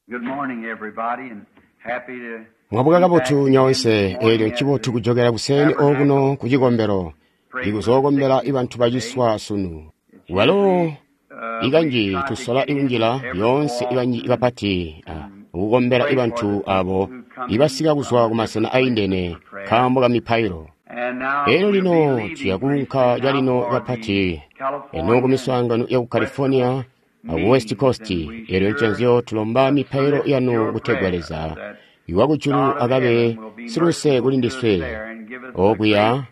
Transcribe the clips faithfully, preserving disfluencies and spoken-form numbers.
Good morning, everybody, and happy to Mwabuka kabotu nyoonse eelyo ncibotu kujokela kuseeni okuno ku cikombelo ndikuzookombela ibantu baciswa sunu. Walo ikanji tusola ikunjila lyoonse ikanji kapati kukombela ibantu abo ibasika kuzwa kumasena aindene nkaambo ka mipailo. Eelyo lino tuya kuunka calino kapati eno kumiswaangano yaku California aku West Coast. Eelyo nconzyo tulomba mipailo yanu kutegwa Leza iwakujulu akabe siluse kuli ndiswe okuya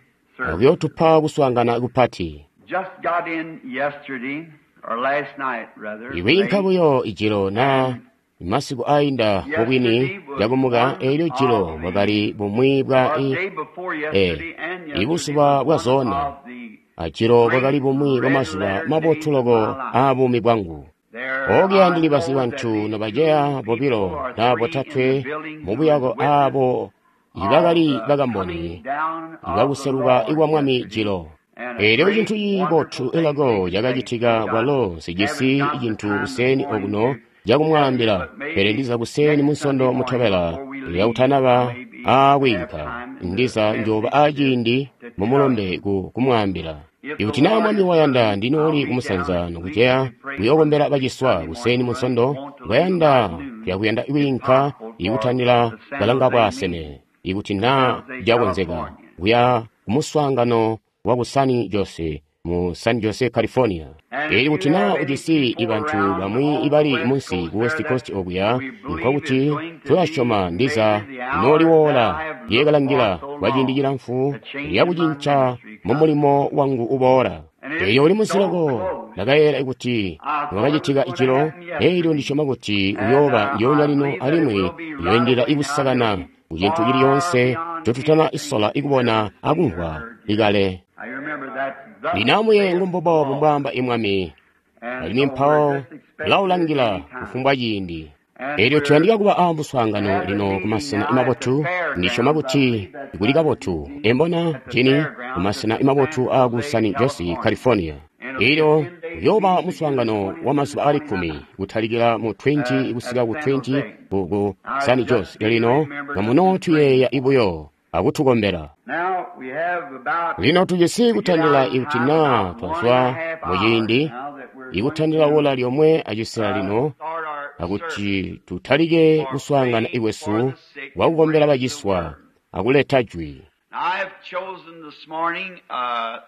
akuyootupa kuswaangana kupati. Just got in yesterday, or last night rather. Ikwiinka late. buyo ijilo na masiku ainda mubwini lyakumuka eelyo jilo bwakali bumwi bwa Or i day before e, yesterday and yesterday ibuzuba was bwa one zona of the ajilo bwakali bumwi bwa red mazuba letter mabotu days of loko my life. aabuumi bwangu. There Okuya I ndili basi know that bantu these two nobaceya people bobilo or na three in the botatwe building who was mubuyako witness aabo of ibakali the coming bakamboni down of the ibakuseluka Lord ikwa Mwami yesterday. jilo. And a Eelyo great, cintu cibotu wonderful thing elako taking place. cakacitika Which I kwalo nsijisi haven't got the cintu time this kuseeni morning okuno to tell you, cakumwaambila, but pele maybe ndiza kuseeni next Sunday munsondo morning mutobela before we leave, lyakutanaba maybe have aakwiinka time in the ndiza njooba message to, aaciindi to tell you. mumulombe ku kumwaambila. If the Ikuti naa Lord Mwami is wayanda willing, I'll ndinooli be down kumusanza next week nokuceya to pray for the kuyookombela sick baciswa Sunday morning. kuseeni But munsondo want to leave kwayanda about noon, tuyakuyanda if kwiinka possible, for ikutandila the San kalanga Jose bwaaseme meeting, ikuti San naa Jose, cakonzeka California. kuya kumuswaangano wa ku San Jose mu San Jose, California. And if Eelyo kuti you naa have any ujisi people ibantu around bamwi on the ibali West munsi Coast ku there West that Coast okuya we believe is nkokuti going to be tulasyoma ndiza maybe the hour that nooliwoola I have looked for lyekalangila so kwa ciindi long, cilamfu the change in my lyakucinca ministry mu coming. mulimo wangu uboola. And it's Eelyo uli munsi so loko close. ndakayeera kuti I thought it was niwakacitika going to ijilo happen eelyo yesterday. ndisyoma kuti And uyooba uh, ndyoonya I lino believe that it alimwi will be right uyoindila away now. ikusakana It'll be ku cintu far chilichonse beyond chotutana anything isola you've ikubona ever seen or akumvwa heard yet. ikale. I remember that thus Linamuye saith the ngumbubo Lord. mbwaamba imwami And alimwi so we're mpawo just expecting it tulawulangila any time. kufumbwa ciindi. And Eelyo we're tuyandika kuba a muswaangano having a lino meeting kumasena now at the mabotu ndisyoma fairgrounds. I kuti believe that's kuli right, kabotu Eugene, embona at the jini fairgrounds kumasena at mabotu San aaku Jose, San Jose, California. California. And it'll be a Eelyo ten-day kuyooba meeting beginning muswaangano the wa twentieth through the mazuba aali kkumi twenty-ninth kutalikila mu twenty uh, at kusika ku San twenty Jose. ku ku I San just Jose. Lino remembered kamuno to pray tuyeeya for. ibuyo akutukombela. Now we have about Lino tujisi to get out kutandila of ikuti time naa about one and a twazwa half mu hours ciindi now that we're going ikutandila to wola lyomwe acisela uh, lino start our service akuti tutalike for kuswaangana praying for ikwesu the sick and kwakukombela bringing the baciswa word. akuleta jwi. Now, I have chosen this morning a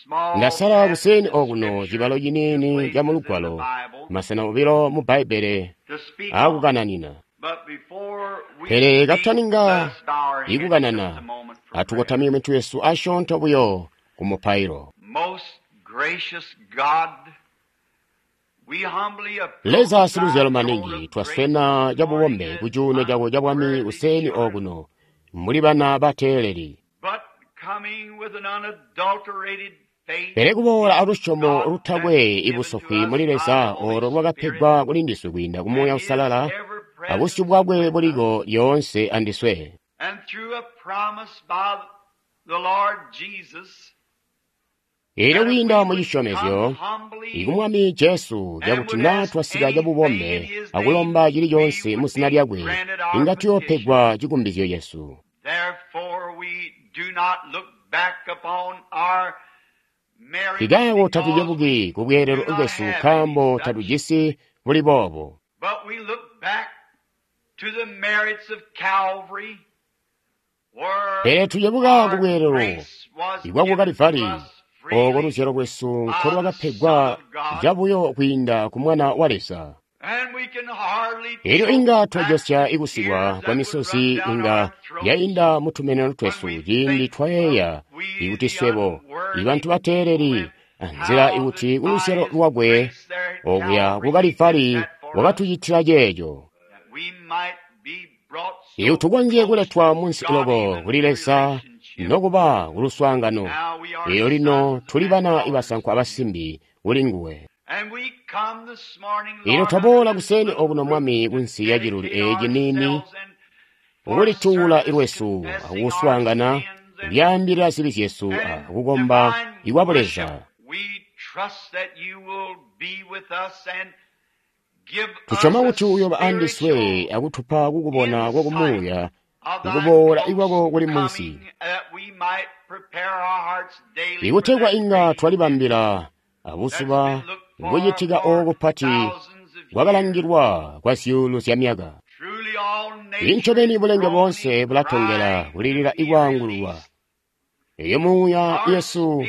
small Ndasala passage kuseeni of okuno scripture, cibalo two ciniini places ca in the mulugwalo Bible masena obilo mu Bbaibbele to speak on. aakukananina. But before we Pele speak, let kataninga us bow our heads just a ikukanana moment for prayer. atukotamye mitwe yesu asyoonto buyo ku mupailo. Most gracious God, we humbly approach Leza thy siluzyalo throne maningi of grace twaswena this morning cabubombe as ku cuuno cako ca bwami unworthy kuseeni children, okuno muli bana bateeleli. but coming with an unadulterated faith Pele kuboola in alusyomo God that's lutakwe given to ibusofwi us muli by the Leza Holy olo Spirit lwakapegwa kuli ndiswe kwiinda ku and Muuya His Uusalala ever abusyu presence bwakwe with us, buliko lyoonse andiswe. and through a promise by the Lord Jesus Eelyo that if kwiinda we mu would come cisyomezyo humbly ikumwami Jesu and cakuti would naa ask twasika anything in cabubombe His name, akulomba we chilichonse mu would zina be lyakwe granted our inga petition. tuyoopegwa cikumbizyo cesu. Therefore, we do not look back upon our merits Tikaako because tatucebuki we ku bweelelo do not bwesu have any nkaambo such, tatujisi buli boobo. but we look back to the merits of Calvary, where Pele tucebuka ku our bweelelo grace was ibwa ku given to Kalivali us ooko freely luzyalo lwesu by the Son nkolwakapegwa of God, cabuyo kwiinda ku Mwana wa Leza. and we can hardly Eelyo choke inga back twajosya the ikusikwa tears kwa that would run misozi down inga our throats yayinda mu tumeneno when twesu we ciindi think of twayeeya we ikuti the swebo unworthy ibantu bateeleli who went anzila how ikuti ku luzyalo by His lwakwe grace there at okuya ku Calvary He did Kalivali that for us, wakatucitila ceeco. that we might be brought Iyo so tukonzye close kuletwa to munsi God loko even kuli in Leza relationship. nokuba ku luswaangano. Now we are Eelyo lino sons tuli and bana daughters ibasankwa to you. abasimbi kuli nguwe. And we come this morning, Eelyo Lord, under twaboola this kuseeni little okuno roof Mwami to kunsi ya ciluli dedicate eeci niini ourselves and for ukulituula service, ilwesu confessing our akuswaangana sins and, kulyaambilila zibi zyesu and in akukomba divine ikwa worship. Buleza. We trust that you will be with us and Tusyoma kuti uyooba andiswe akutupa kukubona kwakumuuya kukuboola ikwako kuli munsi, ikutegwa inga twalibambila abuzuba kucitika ooku pati kwakalangilwa kwa zyuulu zya myaka. Incobeni bulenge boonse bulatongela kulilila ikwaangululwa. Eyo muuya yesu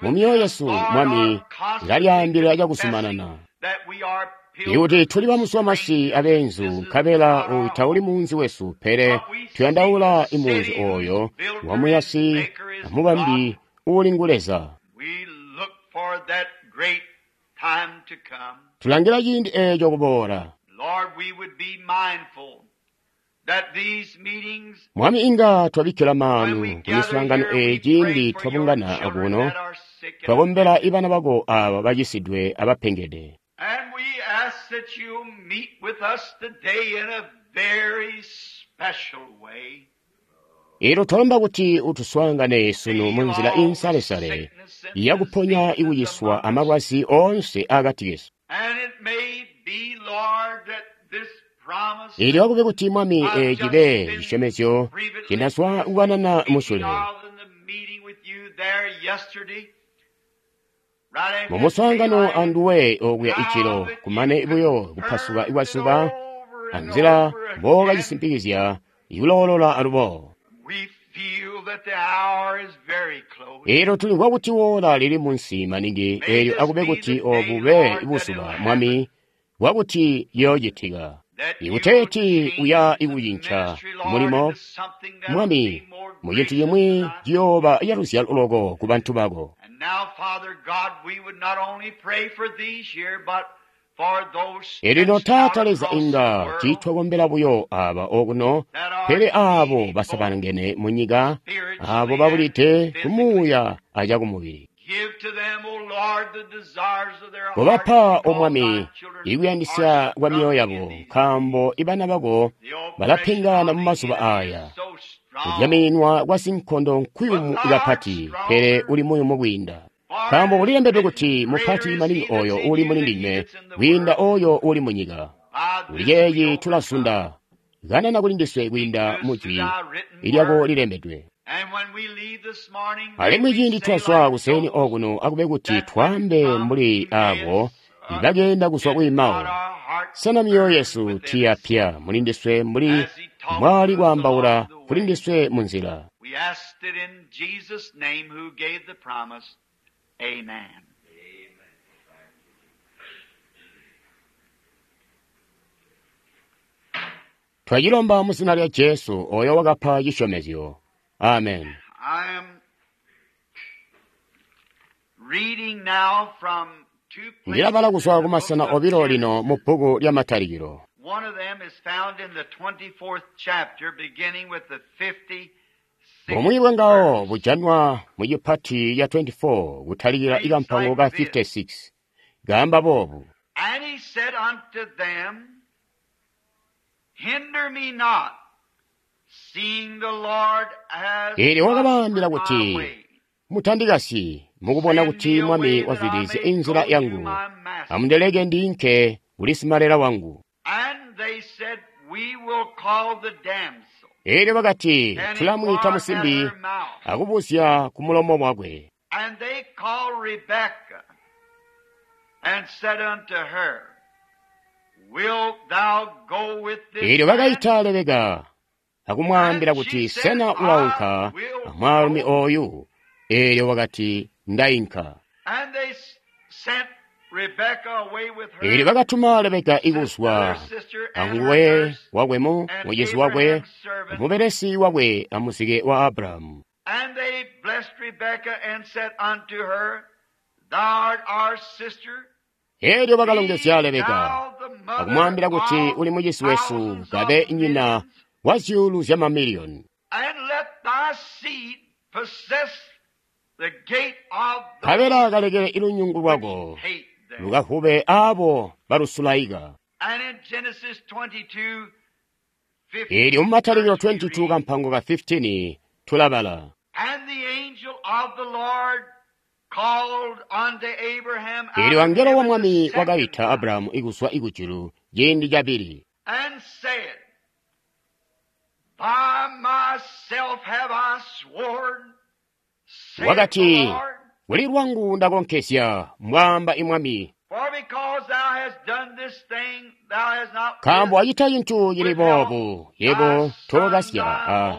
mumyoyo yesu Mwami ilalyaambila cakuzumanana ikuti tuli bamuswamasi abeenzu, nkabela oyu tauli muunzi wesu, pele tuyandaula imuunzi oyo wamuyasi amubambi uuli ngu Leza. Tulangila ciindi eeco kuboola. Mwami, inga twabikkila maanu kumiswaangano eeyi ciindi twabungana akuno, twakombela ibana bako aaba bacisidwe abapengede. Eelyo twalomba kuti utuswaangane sunu munzila insalesale yakuponya ikuciswa amalwazi oonse akati kesu. Eelyo akube kuti Mwami eeci cibe cisyomezyo cindazwa kukanana musyule mumuswaangano anduwe okuya icilo, kumane buyo kupasuka kwazuba anzila mbookacisimpikizya ikuloolola alubo. Eelyo tulimvwa kuti woola lili munsi maningi. Eelyo akube kuti oobu bube buzuba, Mwami, bwakuti ciyoocitika. Ikuteeti uya ikucinca mulimo, Mwami, mucintu cimwi ciyooba caluzyalo loko ku bantu bako. Eelyo Taata Leza, inga tiitwakombela buyo aaba okuno, pele aabo basabalangene munyika, aabo babulide kumuuya acakumubili. Kobapa, O Mwami, ikuyandisya kwa myoyo yabo, nkaambo ibana bako balapengana mumazuba aaya. Kudyamininwa kwa sinkondo nkuyumu kapati, pele uli muyumu kwiinda. Nkaambo kulilembedwe kuti mupati maningi oyo uuli muli ndinywe kwiinda oyo uuli munyika. Kuli ceeci tulazunda, kanana kuli ndiswe kwiinda mujwi lyako lilembedwe. Alimwi ciindi twazwa kuseeni okuno, akube kuti twaambe mbuli aabo ibakeenda kuzwa ku Emau. Sena myoyo yesu tiyapya muli ndiswe mbuli mwali kwaambaula kuli ndiswe munzila? Amen. Twacilomba mu zina lya Jesu oyo wakapa cisyomezyo. Amen. I am reading now from two places Ndilabala kuzwa in the kumasena book of obilo Genesis. lino mu bbuku lya Matalikilo. One of them is found in the twenty-fourth chapter, beginning with the fifty-sixth Bumwi bwangawo verse. bujanwa mu cipati ya twenty-four kutalikila Reads ikampango like ka this. fifty-six. Kaamba boobu. And he said unto them, Hinder me not, seeing the Lord has Eelyo wakabaambila prospered my kuti, way. Mutandikasyi mukubona Send kuti me Mwami away that I wazwidilizya may inzila go to yangu. my master. Amundeleke ndiinke kuli simalela wangu. And they said, We will call the damsel Eelyo bakati, and tulamwiita inquire at musimbi her mouth. akubuzya ku mulomo wakwe. And they called Rebekah and said unto her, Wilt thou go with this Eelyo man? bakaita Lebeka akumwaambila And kuti, she said, Sena ulaunka I will amwaalumi go. oyu? Eelyo wakati, Ndainka. And they s- sent Rebekah away with Eelyo her bakatuma Lebeka sister, ikuzwa their sister and her anguwe nurse wakwemu, and mucizi wakwe, Abraham's servant. mubelesi wakwe amuzike wa Abrahamu. And they blessed Rebekah and said unto her, Thou art our sister. Eelyo Be bakalongezya Lebeka thou the mother akumwaambila kuti of uli mucizi wesu, thousands kabe of nyina millions, wa zyuulu zya mamiliyoni. and let thy seed possess the gate of Nkabela those kalekele ilunyungu which lwako hate them. lukahube aabo balusulaika. And in Genesis twenty-two, Eelyo fifteen mu Matalikilo verse we twenty-two read, kampango ka fifteen tulabala. And the angel of the Lord called unto Abraham out Eelyo of angelo wa heaven the Mwami second wakaita time, Abrahamu ikuzwa ikujulu ciindi cabili. And said, By myself have I sworn, saith the Wakati, Lord, kuli lwangu ndakonkezya, mbwaamba imwami, for because thou hast done this thing, thou hast not nkaambo wacita cintu cili boobu, yebo tookasya a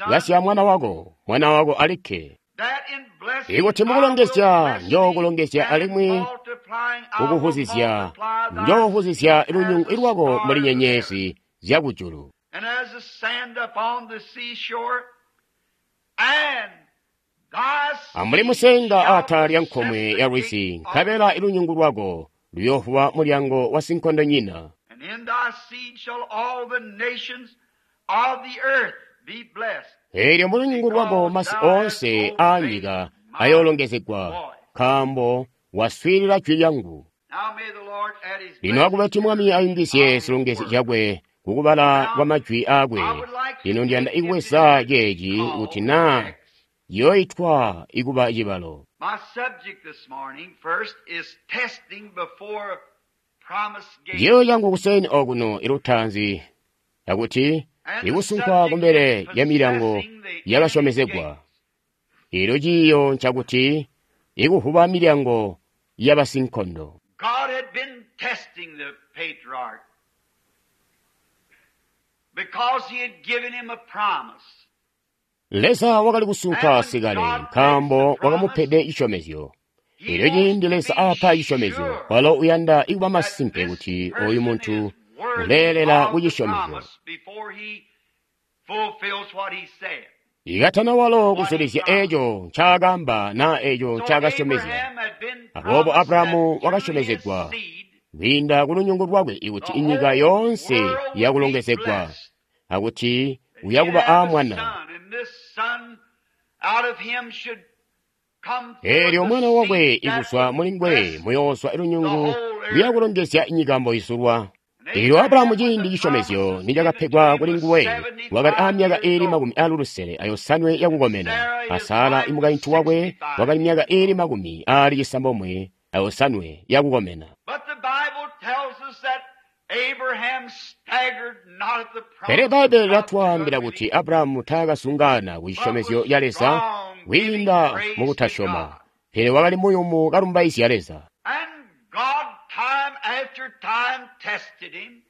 kasya mwana wako, mwana wako alikke. that in blessing Ikuti I will mukulongezya, bless thee, njookulongezya and alimwi multiplying I will kukuhuzizya, multiply thy njoohuzizya seed lunyungu as the lwako stars mbuli of the nyenyezi zyakujulu. and as the sand upon the seashore, and thy Ambuli seed musenga shall atala lya possess nkomwe the ya lwizi, gate of nkabela ilunyungu lwako luyoovuba mulyango wa sinkondonyina. And in thy seed shall all the nations of the earth be blessed. Eelyo mulunyungu lwako masi oonse aanyika ayoolongezegwa, nkaambo waswiilila jwi lyangu. Now may the Lord add his Lino blessing akube kuti Mwami ayungizye zilongezyo zyakwe kukubala kwa majwi aakwe. Lino ndiyanda ikubweza ceeci kuti naa yoitwa ikuba cibalo. My subject this morning first is testing before promise gate. Ciiyo cangu kuseni okuno ilutaanzi yakuti And the ikusunkwa subject kumbele is ya milyango possessing the enemy yakasyomezegwa. gates. Eelyo ciiyo ncakuti ikuvuba milyango yabasinkondo. God had been testing the patriarch because he had given him a promise. Leza wakali kusunka sikale nkaambo wakamupede cisyomezyo. He Eelyo wants ciindi to Leza be aapa cisyomezyo, sure walo uyanda ikuba that masimpe this kuti oyu person muntu is worthy uleelela of the kucisyomezyo. promise before he fulfills what he said. Ikatana walo What he kuzulizya promised. eeco ncaakaamba naa eeco So ncaakasyomezya. Abraham had been Aboobo promised that Abrahamu through his wakasyomezegwa seed kwiinda ku lunyungu lwakwe ikuti the inyika whole yoonse world would be yakulongezegwa blessed. akuti That he'd uyakuba have a aamwana. son, and this son out of him should come forth Eelyo the mwana wakwe seed that ikuzwa would muli ngwe bless muyoozwa the ilunyungu whole earth. luyakulongezya inyika mboizulwa. And Eelyo Abrahamu Abraham, when ciindi the cisyomezyo promise was given to nicakapegwa him, kuli was nguwe wakali aamyaka seventy-five iili years old. makumi aali ayosanwe yakukomena, Sarah, a his Sara wife, was imukaintu wakwe sixty-five. wakali myaka iili makumi aali cisambomwe ayosanwe yakukomena. But the Bible tells us that Abraham staggered not at the Pele promise of Bbaibele God to latwaambila kuti unbelief, Abrahamu taakasungana ku but cisyomezyo was ca Leza strong, giving kwiinda praise to mukutasyoma, God. pele wakali muyumu kalumbaizya Leza. And God, time after time, tested him.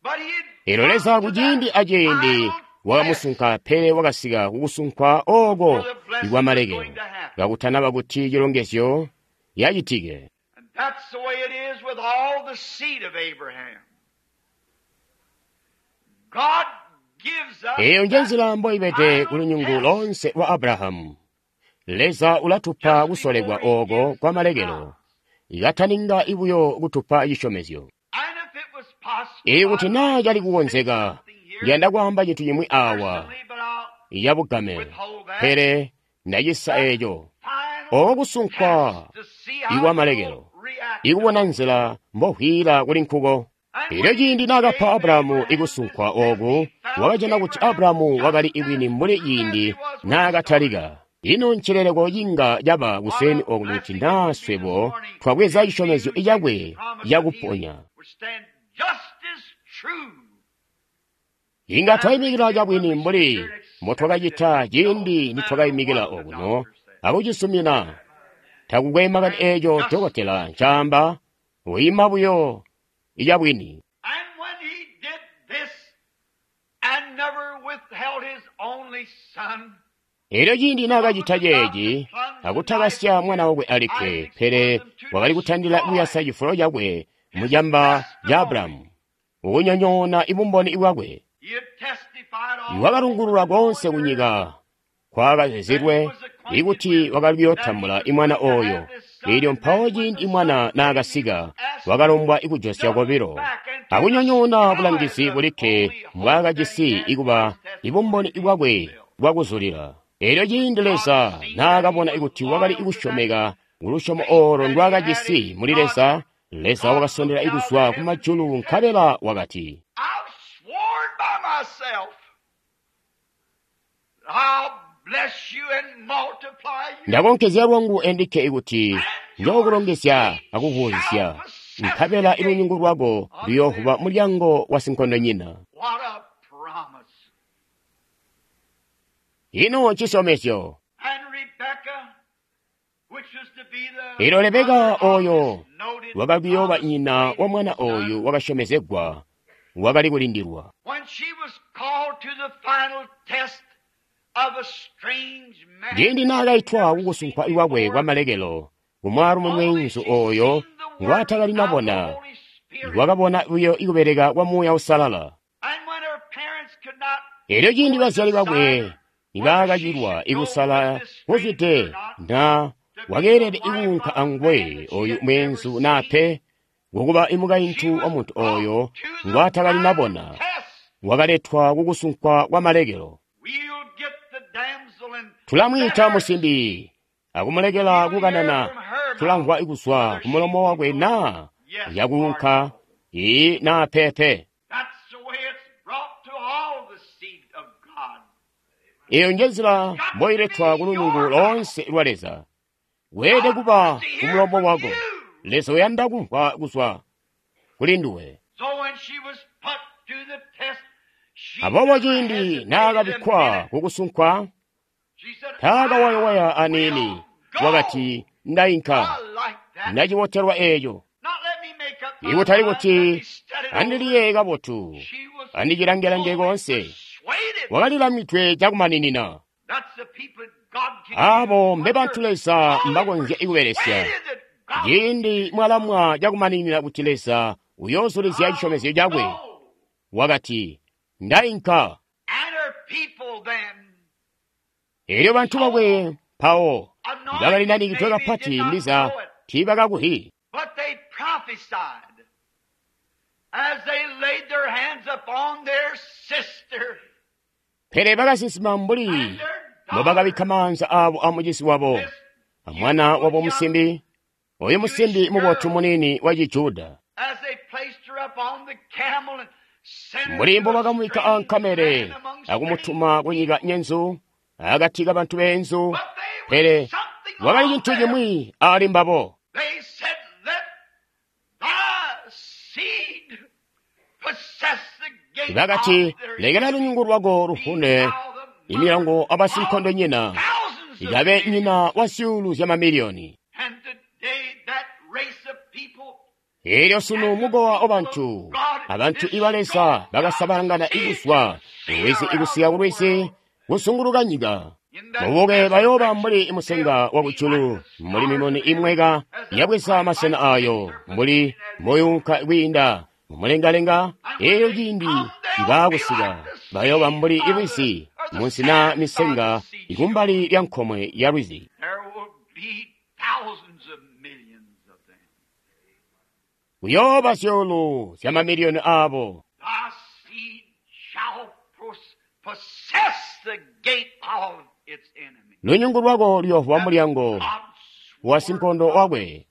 But he had Eelyo come Leza to that kuciindi aciindi final test wakamusunka, pele wakasika kukusunkwa ooko where the blessing was ikwamalekelo, going to happen. kakutanaba kuti cilongezyo yacitike. And that's the way it is with all the seed of Abraham. God gives us Eyo that njenzila mboibede final ku lunyungu test lonse lwa Abrahamu. Leza ulatupa just kusolekwa before he ooko gives the kwa malekelo, promise. ikataninga ibuyo kutupa cisyomezyo. And if it was possible, Ikuti I'd naa like cali to say kukonzeka, something here ndiyanda kwaamba cintu cimwi awa personally, but I'll yabugame, withhold that. pele ndacisa That eeco. final Oko kusunkwa test to see how ikwa malekelo, you'll react to ikubona it. nzila mbohwila kuli nkuko. And Eelyo when he ciindi naakapa gave Abrahamu Abraham this ikusunkwa test, ooku, he found wakajana kuti Abraham Abrahamu just wakali as ibwini mbuli true as he ciindi was when he started. naakatalika. Ino ncileleko cinga caba What kuseni a oku kuti blessing it naa would be this swebo morning twabweza if we cisyomezyo who take cakwe the promise of healing cakuponya. would stand just as true Inga as we twayimikila did when cabwini we stood mbuli here and accepted mbotwakacita it, ciindi no matter nitwakayimikila what the okuno doctor said. akucisumina. Takukwe makani And eeco just dokotela ncaamba, uyima buyo icabwini. And when he did this and never withheld his only son, Eelyo ciindi but was naakacita about to ceeci, plunge the knife akutakasya mwana wakwe alikke, Isaac's pele bosom to wakali kutandila destroy kuyasa cifulo cakwe his mucamba ca testimony. Abrahamu, ukunyonyoona ibumboni bwakwe. He had testified all Iwakalungulula over the konse known earth kunyika that he kwakazizilwe was acquainted ikuti with, wakali that he kuyootambula was imwana going to oyo. have this son, Eelyo and that mpawo when ciindi the son mwana came, he naakasika, was asked wakalombwa ikujosya nothing kobilo, back and to akunyonyoona destroy bulangizi the bulikke only hope that he mbwaakajisi had for ikuba his testimony ibumboni to be bwakwe fulfilled. bwakuzulila. Eelyo ciindi God Leza seen that he naakabona was ikuti wakali loyal to that ikusyomeka kulusyomo faith oolo that he had ndwaakajisi in muli God, Leza, Leza God wakasondela looked out of ikuzwa heaven kumajulu and said, nkabela wakati, I've sworn by myself that I'll bless you and multiply you, ndakonkezya lwangu endikke ikuti and your njookulongezya seed akukuwuzisya, shall possess Nkabela ilunyungu lwako luyoovuba mulyango wa sinkondonyina. What a promise. Ino ncisyomezyo. And Rebekah, which was to be the Elyo Rebeka mother of oyo this noted wakakuyooba promised nyina wa mwana son, oyu wakasyomezegwa wakali kulindilwa. when she was called to the final test of a strange man, Ciindi naakaitwa kukusunkwa ikwakwe kwamalekelo kumwaalumi mweenzu oyo ngwaatakali nabona, wakabona buyo ikubeleka kwa Muuya Uusalala. And when her parents could not Elyo ciindi bazyali bakwe nibaakacilwa ikusala kuzwide na wakeelede ikuunka anguwe oyu mweenzu naa pe, ngokuba imukaintu wa muntu oyo ngwaatakali nabona, test, wakaletwa kukusunkwa kwa malekelo. we'll get the damsel and Tulamwiita musimbi akumulekela kukanana, tulamvwa kuzwa kumulomo wakwe naa yakuunka ii naa pepe. That's the way it's brought to all the seed of God. Iyo njenzila mboiletwa kulunyungu loonse lwa Leza. Weelede kuba kumulomo wako. Leza uyanda kumvwa kuzwa kuli nduwe. So when she was put to the test, she Aboobo never ciindi hesitated a naakabikkwa minute. kukusunkwa, She said, taakawayawaya I aniini. will go. Wakati, ndayinka, I like that. ndacibotelwa eeco. Not let me make up my Ikutali mind, kuti let me study it over. andiliye kabotu, She was andicilange-lange fully konse. persuaded. Wakalilamidwe cakumaninina. That's the people that God can Abo use. mbe bantu Leza mbakonzya ikubelesya. Persuaded that God Ciindi mwalamwa cakumaninina kuti Leza uyoozulizya cisyomezyo cakwe, will. wakati, ndayinka. And her people then, Elyo bantu bakwe mpawo bakalinanikidwe anointed kapati maybe did not ndiza know it, tiibakakuhi. but they prophesied as they laid their hands upon their sister Pele bakasinsima mbuli and their mbobakabikka daughter. maanza aabo amucisi wabo, This amwana wabo musimbi, oyu musimbi mubotu muniini wa Cijuda. As they placed her up on the camel and sent her Mbuli to a mbobakamubikka strange ankamele land among akumutuma ku nyika nyenzu, akati kabantu beenzu, But they was pele something wakali on cintu them. cimwi ali mbabo. They said, Let thy seed possess the gate Bakati, of their lekela lunyungu lwako Be lufune thou the imilango mother abasinkondonyina, of thousands of ikabe millions. nyina wa zyuulu zya mamiliyoni. And today that race of people Elyo sunu mukowa wa bantu, abantu iba Leza bakasabalangana ikuzwa kulwizi ikusika kulwizi kusunguluka nyika. in that Mubuke bayooba mbuli resurrection musenga they'll wa be kujulu, like the mbuli stars mimuni in heaven imweka as the yabweza masena bright ayo, light mbuli moyunka kwiinda mumulengalenga. And when Elyo they ciindi come, they'll be ibaakusika like the bayooba sea mbuli by the, ilwizi or the munsi na sands by the misenga seashore. ikumbali lya nkomwe ya lwizi. There will be thousands of millions of them. Kuyooba zyuulu zya mamiliyoni aabo. Thy seed shall pos- possess the gate of its enemy. Lunyungu lwako luyoovuba That's mulyango God's wa word sinkondo of wakwe.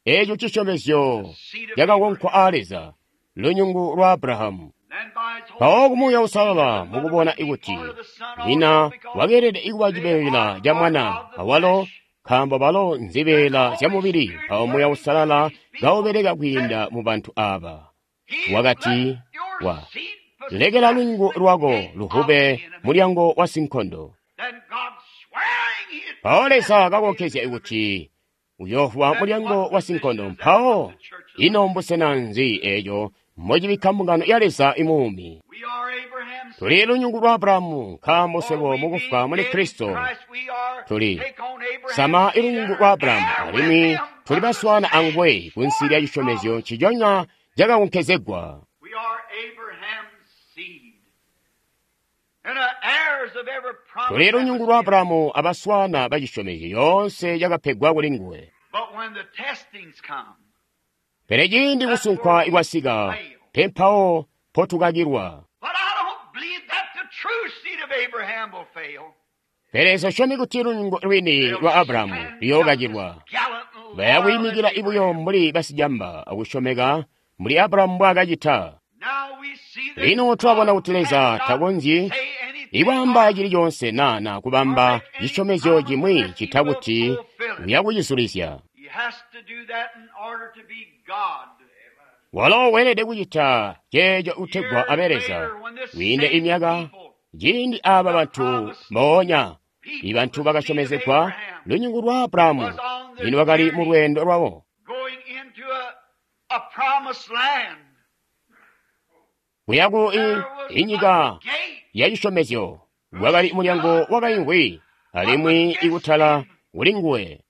Eeco cisyomezyo the seed of cakakonkwa Abraham. aa Leza, lunyungu lwa Abrahamu. Then by his Holy Mpawo kumuuya Spirit, seeing that Uusalala the mother mukubona would be ikuti part of the son also, nyina because wakeelede ikuba they cibeela are ca part mwana of the awalo flesh. nkaambo balo Then the nzibeela zya Holy mubili. Spirit Mpawo Muuya working through Uusalala these people kaubeleka said, kwiinda mu bantu aba. He let Wakati your wa seed lekela possess lunyungu the lwako gate of luhube the enemy. mulyango wa sinkondo. Then God swearing he'd Mpawo possess Leza the kakonkezya enemy. kuti uyoovuba Then mulyango what wa position sinkondo. does that put Mpawo the church of the ino living mbusena nzi eeco mbocibikka mbungano ya Leza imuumi? We are Abraham's Tuli seed. lunyungu lwa Abrahamu nkaambo For swebo we mukufwa being muli dead in Kristo Christ, we are tuli take on Abraham's sama seed and ilunyungu are lwa Abrahamu heir with alimwi him tuli of the baswana same anguwe kunsi lya sworn cisyomezyo promise. nciconya cakakonkezegwa. We are Abraham's seed and are heirs of every promise Tuli that was lunyungu lwa given. Abrahamu abaswana ba cisyomezyo yoonse yakapegwa kuli nguwe. But when the testings come, Pele ciindi that's where kusunkwa we ikwasika, fail. pe mpawo mpotukakilwa. But I don't believe that the true seed of Abraham will fail. Pele sosyomi kuti lunyungu lwini They'll lwa Abrahamu stand just as luyookakilwa. gallant and loyal as Bayakuyimikila ibuyo Abraham. mbuli basijamba akusyomeka mbuli Abrahamu mbwaakacita. Now we see that Lino twabona God kuti Leza cannot takonzyi say anything ikwaamba or, chili chonse nana or kubamba make any chisyomezyo promise chimwi unless he chita will kuti fulfill it. uyakuchizulizya. He has to do that in order to be God. Walo weelede kucita ceeco kutegwa abe Leza. Kwiinde imyaka, ciindi aaba bantu mboonya, ibantu bakasyomezegwa lunyungu lwa Abrahamu, lino bakali mu lweendo lwabo kuya ku inyika ya cisyomezyo. Wakali mulyango wakaimvwi alimwi ikutala kuli nguwe.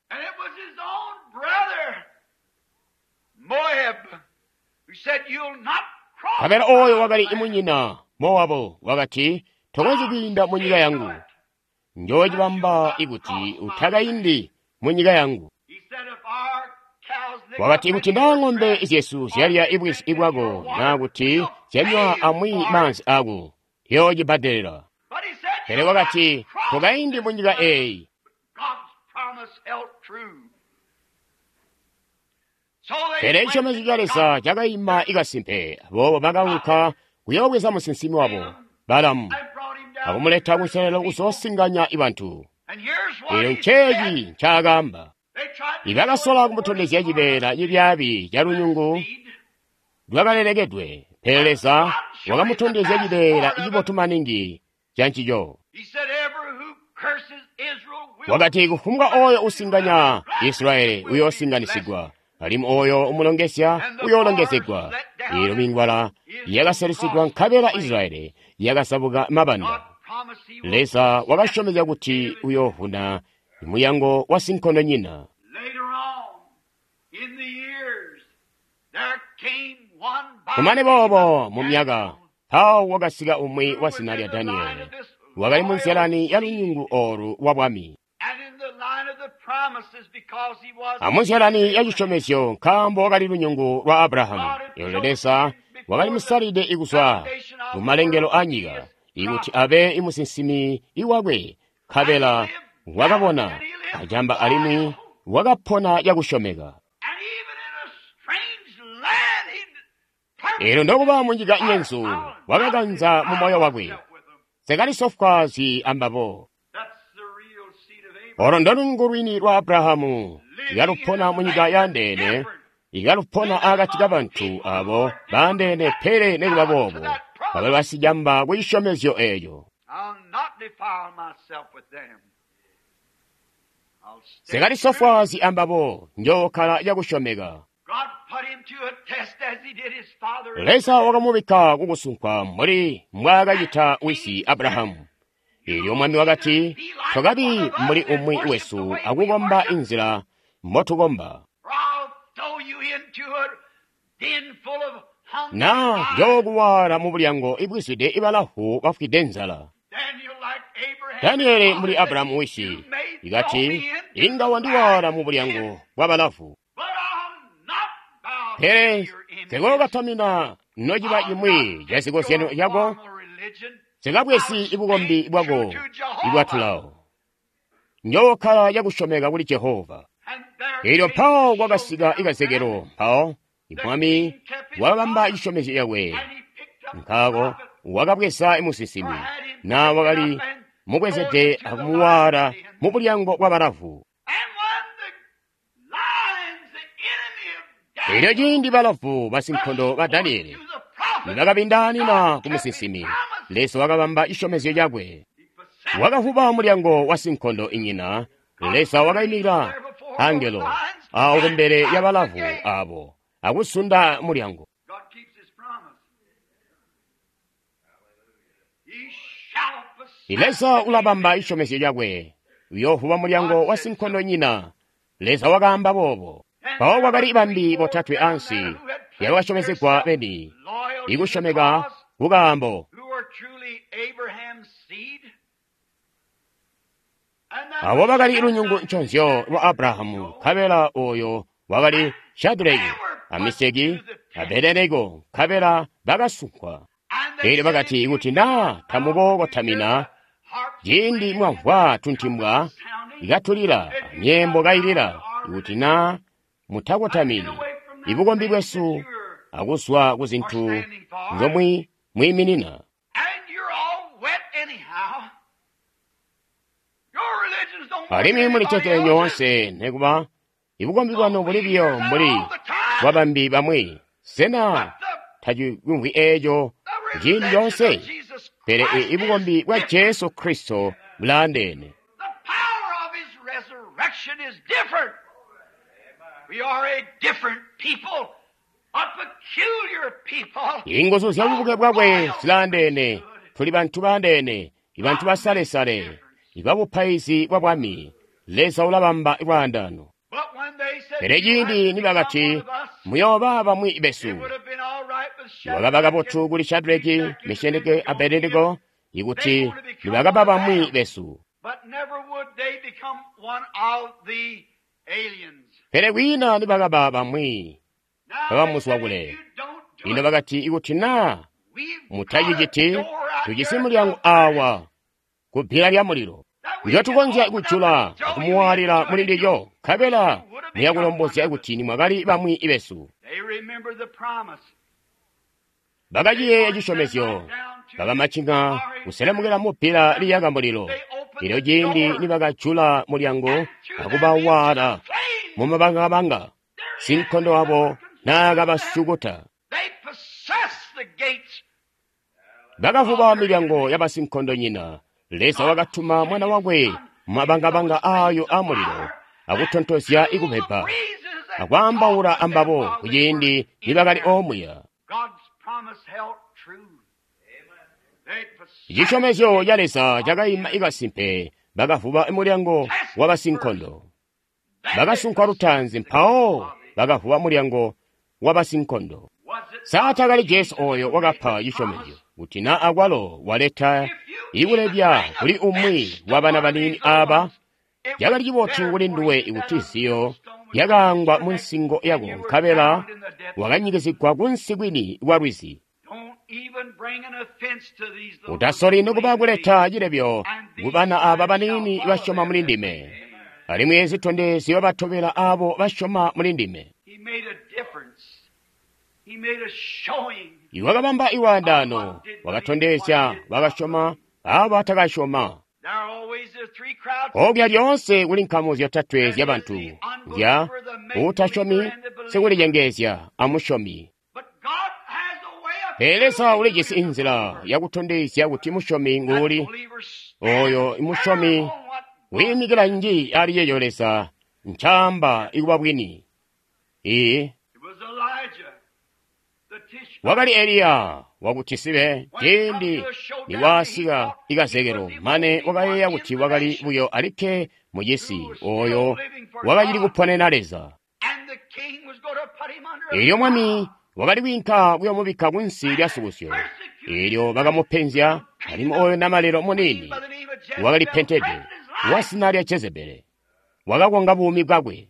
Nkabela ooyo wakali imunyina Mowabu wakati, tokonzyi kwiinda munyika yangu. Njoocibamba ikuti utakaindi munyika yangu. Wakati, ikuti naa ng'ombe zyesu zyalya ibwizi bwako naa kuti zyanywa amwi maanzi ako, yoocibbadelela. Pele wakati, tokaindi munyika eeyi. Pele cisyomezyo ca Leza cakaima ikasimpe. Aboobo bakaunka kuyoobweza musinsimi wabo Balamu akumuleta kunselelo kuzoosinganya ibantu. Eelyo nceeci ncaakaamba. Ibakasola kumutondezya cibeela cibyaabi ca lunyungu lwakalelekedwe, pele Leza wakamutondezya cibeela cibotu maningi ca ncico. Wakati, kufumbwa ooyo usinganya Israyeli uyoosinganisigwa, alimwi ooyo umulongezya uyoolongezegwa. Eelyo mingwala yakaselusigwa nkabela Israyeli yakasabuka mabanda. Leza wakasyomezya kuti uyoovuna muyango wa sinkondonyina. Kumane boobo mu myaka, mpawo wakasika umwi wa zina lya Daniele, wakali mu nzyalani ya lunyungu oolu lwa bwami, amunzyalani ya cisyomezyo, nkaambo wakali lunyungu lwa Abrahamu. Eelyo Leza wakali musalide ikuzwa mu malengelo a nyika ikuti abe imusinsimi iwakwe, nkabela wakabona acamba alimwi wakapona cakusyomeka. Eelyo nokuba munyika nyenzu wakakanza mu moyo wakwe, sekalisofwaazi ambabo. Olo ndolungu lwini lwa Abrahamu, ikalupona munyika yandeene, ikalupona akati kabantu abo baandeene, pele nekuba boobo bakali basicamba ku cisyomezyo eeco. Sekalisofwaazi ambabo, njookkala cakusyomeka. Leza wakamubikka kukusunkwa mbuli mbwaakacita wisi Abrahamu. Eelyo mwami wakati, tokabi mbuli umwi wesu akukomba inzila mbotukomba. Naa njookuwaala mu bulyango ibwizwide ibalahu bafwide nzala. Daniele mbuli Abrahamu wisi ikati, inga wandiwaala mu bulyango bwabalavu. Pele nsikookatamina nociba cimwi ca zikozyano cako, nsikabwezi bukombi bwako ibwatulawo. Njookkala cakusyomeka kuli Jehova. Eelyo mpawo kwakasika ikazekelo, mpawo mwami wakabamba cisyomezyo cakwe. Nkaako wakabweza musinsimi, naa wakali mubwezede akumuwaala mu bulyango bwabalavu. Eelyo ciindi balavu basinkondo ba Daniele nibakabindaanina ku musinsimi, Leza wakabamba cisyomezyo cakwe. Wakavuba mulyango wa sinkondo inyina. Leza wakaimikila angelo awo kumbele ya balavu abo akusunda mulyango. Leza ulabamba cisyomezyo cakwe, uyoovuba mulyango wa sinkondo nyina. Leza wakaamba boobo. Mpawo kwakali bambi botatwe ansi yabakasyomezegwa beni ikusyomeka kukaambo. Abo bakali lunyungu nconzyo lwa Abrahamu, nkabela ooyo wakali Shaduleki, a Miseki, a Abedenego, nkabela bakasunkwa. Eelyo bakati, ikuti naa tamukookotamina ciindi mwamvwa tuntimbwa ikatulila, myeembo kailila, ikuti naa mutakotamini ibukombi bwesu akuzwa ku zintu nzomwi mwiiminina. Alimwi mulicete nyoonse, nekuba ibukombi bwanu buli biyo mbuli bwabambi bamwi. Sena tacimvwi eeco ciindi coonse? Pele ibukombi bwa Jesu Kristo bulaandeene. Inguzu zya bubuke bwakwe zilaandeene. Tuli bantu baandeene, ibantu basalesale, ibabupaizi bwa bwami. Leza ulabamba lwaandaano. Pele ciindi nibakati muyooba bamwi besu, wakaba kabotu kuli Shadraki, Meshaki, Abednego ikuti nibakaba bamwi besu. Pele kwiina nibakaba bamwi babamuzwa kule. Lino bakati ikuti naa mutaciciti, tujisi mulyango awa ku bbila lya mulilo ndyotukonzya kujula akumuwaalila muli ndilyo, nkabela muyakulombozya kuti nimwakali bamwi besu. Bakaciyeeya cisyomezyo, bakamacinga kuselemukila mu bbila liyaka mulilo. Elyo ciindi nibakajula mulyango akubawaala mumabangabanga, sinkondo wabo naakabasukuta. Bakavuba milyango yabasinkondonyina. Leza wakatuma mwana wakwe mumabangabanga aayo amulilo akutontozya ikupepa akwaambaula ambabo kuciindi nibakali omuya. Cisyomezyo ca Leza cakaima ikasimpe. Bakavuba mulyango wabasinkondo. Bakasunkwa lutaanzi, mpawo bakavuba mulyango wabasinkondo. Saatakali Jesu oyo wakapa cisyomezyo kuti na akwalo waleta ikulebya kuli umwi wabana baniini aba, cakali cibotu kuli nduwe ikuti ziyo lyakaangwa mu nsingo yako nkabela wakanyikizigwa kunsi kwini kwa lwizi. Utasoli nokuba kuleta cilebyo kubana aba baniini basyoma muli ndime, alimwi zitondezyo batobela abo basyoma muli ndime. Iwakabamba iwaandaano, wakatondezya bakasyoma abo batakasyoma. Okuya lyoonse kuli nkamu zyotatwe zyabantu zya uutasyomi, sikulicengeezya, amusyomi. Pele Leza ulijisi inzila yakutondezya kuti musyomi nguuli. Oyo musyomi wiimikila nji ali yeeyo Leza ncaamba ikuba bwini. Ii wakali Eliya wakuti sibe ciindi niwaasika ikazekelo, mane wakayeeya kuti wakali buyo alikke mucisi oyo wakacili kuponena Leza. Elyo mwami wakali kwiinka kuyoomubikka kunsi lya sukusyo. Elyo bakamupenzya, alimwi oyo namalelo muniini wakali pentede wasina lya Jezebele wakakonga buumi bwakwe.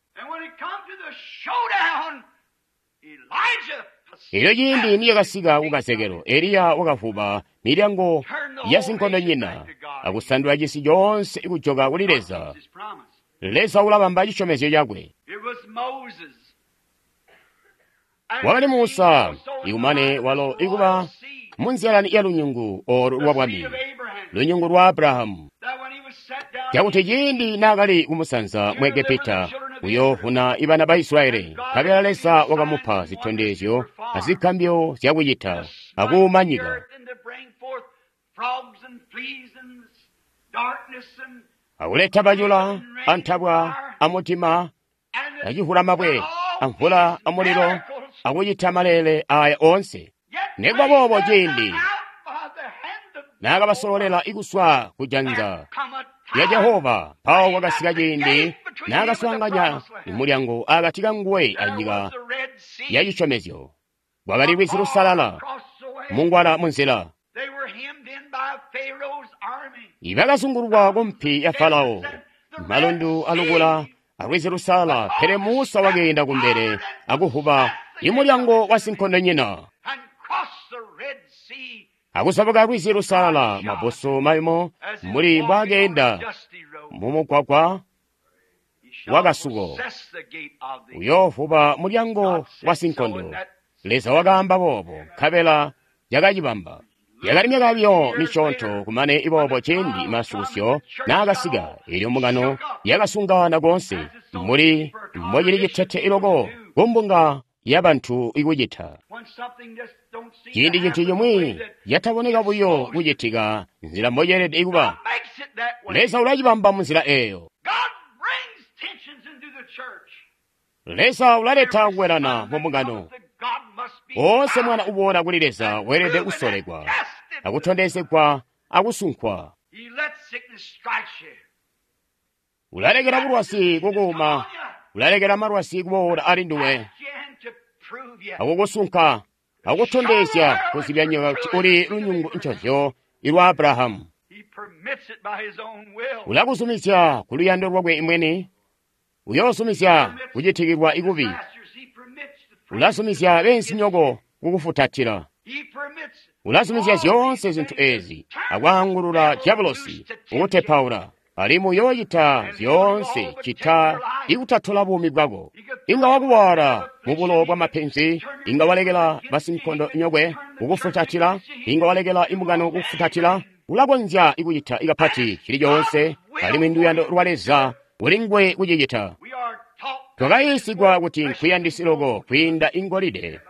Elyo ciindi niyakasika kukazekelo, Eliya wakavuba milyango ya sinkondonyina akusandula cisi coonse kujoka kuli Leza. Leza ulabamba cisyomezyo cakwe. Wakali Musa, ikumane walo ikuba munzyalani ya lunyungu olu lwa bwami, lunyungu lwa Abrahamu, cakuti ciindi naakali kumusanza mu Egepita kuyoovuna ibana ba Israyeli, nkabela Leza wakamupa zitondezyo azigambyo zyakucita akuuma nyika, akuleta bacula antabwa amutima acivulamabwe amvula amulilo akucita maleele aya oonse. Nikuba boobo ciindi naakabasololela ikuswa kujanza lya Jehova, mpawo kwakasika ciindi naakaswaanganya mulyango akati kanguwe anyika ya cisyomezyo. Kwakali lwizi lusalala mungwala munzila. Ibakazungulwa kumpi ya Farao, malundu alukula alwizi lusalala, pele Musa wakeenda kumbele akuvuba imulyango wa sinkondonyina. Akuzabuka lwizi lusalala mabusu mayumu muli mbwakeenda mumugwagwa wakasuko, uyoovuba mulyango wa sinkondo. Leza wakaamba boobo, nkabela yakacibamba. Yakali myaka biyo misyoonto kumane iboobo ciindi masukusyo naakasika, elyo mbungano yakasungana koonse muli mbocili citete iloko kumbunga ya bantu ikucita. Ciindi cintu cimwi cataboneka buyo kucitika nzila mboceelede kuba, Leza ulacibamba munzila eeyo. Leza ulaleta kukwelana mu mbungano. Woonse mwana uboola kuli Leza weelede kusolekwa, akutondezegwa, akusunkwa. Ulalekela bulwazi kukuuma, ulalekela malwazi kuboola ali nduwe, akukusunka, akutondezya kuzibya nyika kuti uli lunyungu ncozyo ilwa Abrahamu. Ulakuzumizya ku luyando lwakwe mwini, uyoozumizya kucitikilwa ikubi, ulazumizya beenzinyoko kukufutatila, ulazumizya zyoonse zintu ezi, akwaangulula diabolosi kukutepaula, alimwi uyoocita zyoonse cita ikutatola buumi bwako. Inga wakuwaala mu bulo bwa mapenzi, inga walekela basinkondo nyokwe kukufutatila, inga walekela imbungano kukufutatila. Ulakonzya ikucita ikapati cili coonse, alimwi nduyando lwa Leza ulingwe kucicita. Twakayiisigwa kuti nkuyandisi loko kwiinda ingolide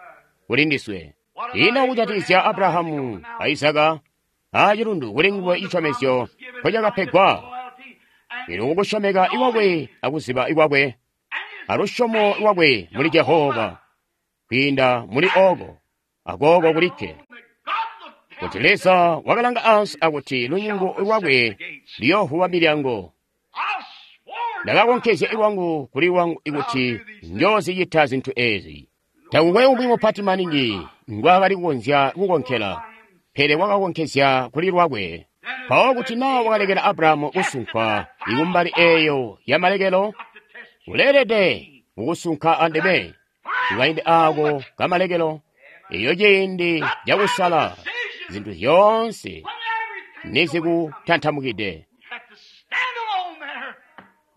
kuli ndiswe. Ino kujatikizya Abrahamu a Izaka acilundu kuli nguwe cisyomezyo mpocakapegwa, ino kukusyomeka ikwakwe akuziba ikwakwe alusyomo lwakwe muli Jehova kwiinda muli ooko akooko kulikke, kuti Leza wakalanga ansi akuti lunyungu lwakwe luyoovuba milyango. Ndakakonkezya lwangu kuli lwangu ikuti njoozicita zintu ezi. Takukwe umwi mupati maningi ngwaakali kukonzya kukonkela, pele wakakonkezya kuli lwakwe. Mpawo kuti naa wakalekela Abrahamu kusunkwa ikumbali eeyo yamalekelo, uleelede kukusunka andime kukaindi aako kamalekelo, eyo ciindi cakusala zintu zyoonse nizikutantamukide.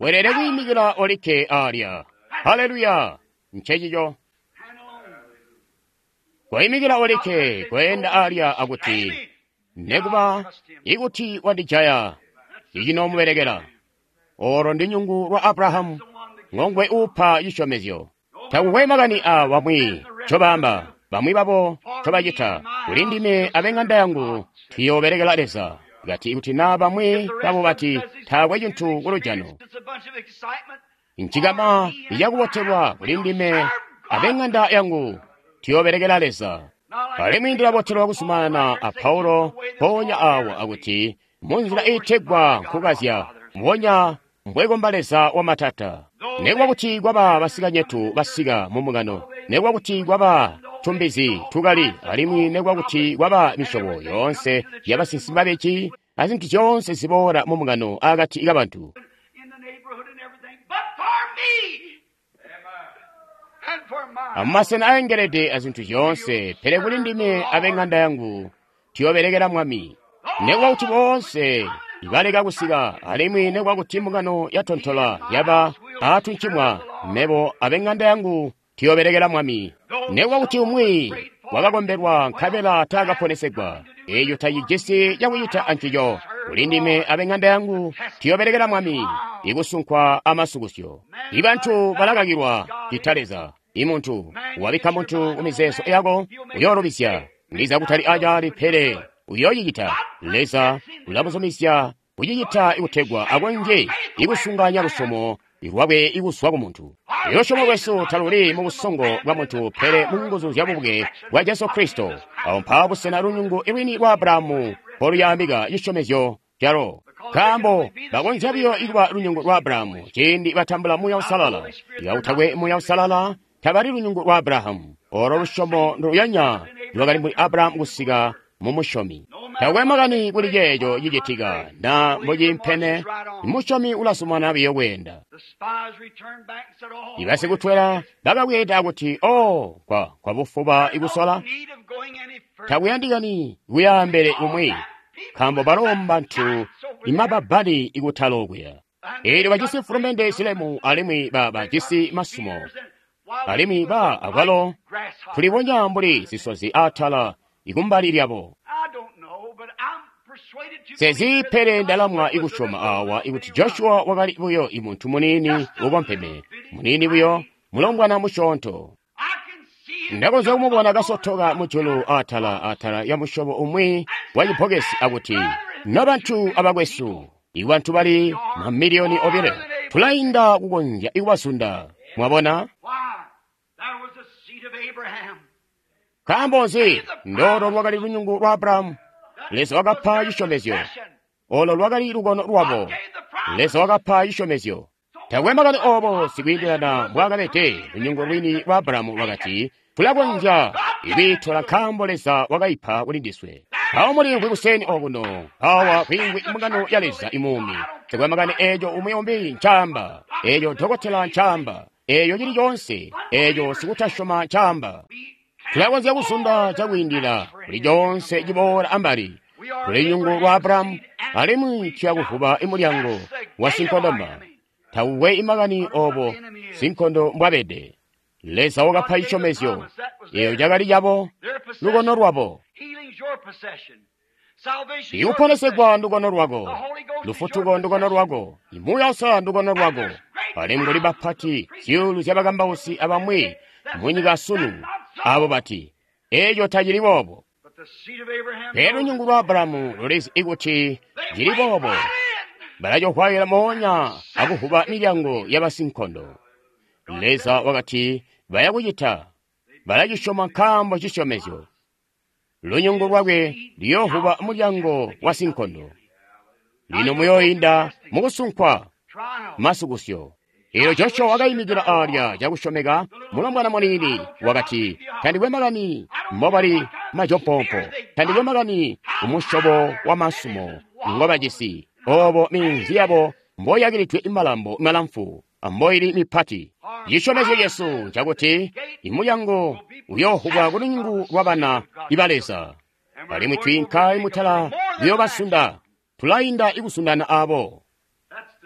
Weelede kwiimikila olikke alya. Haleluya! Ncencico. Koimikila olikke kweenda alya akuti, nekuba ikuti wandijaya, icinoomubelekela. Olo ndi nyungu lwa Abrahamu, ngongwe upa cisyomezyo. Takukwe makani a bamwi ncobaamba, bamwi babo ncobacita. Kuli ndime ab'eng'anda yangu tuyoobelekela Leza. Kati kuti naa bamwi babo bati taakwe cintu kulujano, ncikama icakubotelwa kuli ndime ab'eng'anda yangu tuyoobelekela Leza. Alimwi ndilabotelwa kuzumanana a Paulo mpoonya awa akuti munzila iitegwa nkukazya, mbubonya mbwekomba Leza wamatata. Nekuba kuti kwaba basikanyetu basika mu mbungano, nekuba kuti kwaba tumbizi tukali, alimwi nekuba kuti kwaba misyobo yoonse yabasinsimi babeji azintu zyoonse ziboola mu mbungano akati kabantu. Amumasena aengelede azintu zyoonse, pele kuli ndime ab'eng'anda yangu tuyoobelekela Mwami. Nekuba kuti boonse baleka kusika, alimwi nekuba kuti mbungano yatontola yaba aatuncimwa, mebo ab'eng'anda yangu tuyoobelekela Mwami. Nekuba kuti umwi wakakombelwa nkabela taakaponesegwa, eeco tacijisi cakucita ancico. Kuli ndime ab'eng'anda yangu tuyoobelekela Mwami, ikusunkwa amasukusyo. Ibantu balakakilwa cita Leza. Imuntu wabikka muntu kumizeezo yako uyoolubizya, ndiza kutali acaali, pele uyoocicita. Leza ulamuzumizya kucicita ikutegwa akonzye ikusunganya lusyomo lwakwe ikuzwa ku muntu. Lusyomo lwesu taluli mu busongo bwa muntu, pele mu nguzu zya bubuke bwa Jesu Kristo. Awo mpawo busena lunyungu lwini lwa Abrahamu mpoluyambika cisyomezyo calo. Nkaambo bakonzya buyo ikuba lunyungu lwa Abrahamu ciindi batambula Muuya Uusalala. Ikakutakwe Muuya Uusalala, tabali lunyungu lwa Abrahamu. Olo lusyomo nduluyanya lwakali muli Abrahamu kusika mu musyomi. Takwe makani kuli ceeco cicitika na mbociimpene, musyomi ulasumana biyo kweenda. Ibasikutwela bakabweeda kuti, "Oh, kwa kwabufuba ikusola, takuyandikani kuyaambele kumwi, nkaambo balo mbantu imababbali ikutala okuya. Eelyo bajisi mfulumende zilemu alimwi ba bajisi masumo, alimwi ba akwalo tulibonya mbuli zisozi atala ikumbali lyabo." Sezi pele ndalamwa ikusyoma awa ikuti Joshua wakali buyo imuntu muniini ukompeme, muniini buyo, mulombwana musyoonto. Ndakonzya kumubona kasotoka mujulu atala atala ya musyobo umwi wa cibbokesi akuti, "Nobantu abakwesu, ibantu bali mamiliyoni obile, tulainda kukonzya ikubazunda." Mwabona? Nkaambo nzi? Ndoolo lwakali lunyungu lwa Abrahamu. Leza wakapa cisyomezyo. Olo lwakali lukono lwabo. Leza wakapa cisyomezyo. Takwe makani obo sikwiindilana mbwaakabede, lunyungu lwini lwa Abrahamu lwakati, "Tulakonzya ikwiitola nkaambo Leza wakaipa kuli ndiswe." Awo mulimvwi kuseni okuno, awa kwiimvwi mbungano ya Leza imuumi. Takwe makani eeco umwi umbi ncaamba, eeco dokotela ncaamba, eeco cili coonse, eeco sikutasyoma ncaamba. Tulakonzya kuzunda cakwiindila kuli coonse ciboola ambali. Tuli lunyungu lwa Abrahamu, alimwi tuyakuvuba imulyango wa sinkondoma. Takukwe imakani obo sinkondo mbwabede. Leza wakapa cisyomezyo. Eeyo cakali cabo, lukono lwabo. Ikuponesegwa ndukono lwako, lufutuko ndukono lwako, imuuya usalala ndukono lwako. Alimwi kuli bapati zyuulu zyabakambausi abamwi munyika sunu abo bati, "Eeco tacili boobo." Pele lunyungu lwa Abrahamu lulizi ikuti cili boobo. Balacohwayila moonya akuvuba milyango yabasinkondo. Leza wakati baya kucita, balacisyoma nkaambo cisyomezyo. Lunyungu lwakwe luyoovuba mulyango wa sinkondo. Lino muyooinda mukusunkwa masukusyo. Eelyo Joshua wakayimikila alya cakusyomeka, mulombwana muniini wakati, "Tandikwe makani mbobali majopoopo, tandikwe makani umusyobo wa masumo ngobajisi, obo minzi yabo mboyakilidwe malambo malamfu amboili mipati. Cisyomezyo cesu ncakuti imulyango uyoohubwa kulunyungu lwabana iba Leza, alimwi twiinka imutala kuyoobasunda, tulainda ikusundana abo."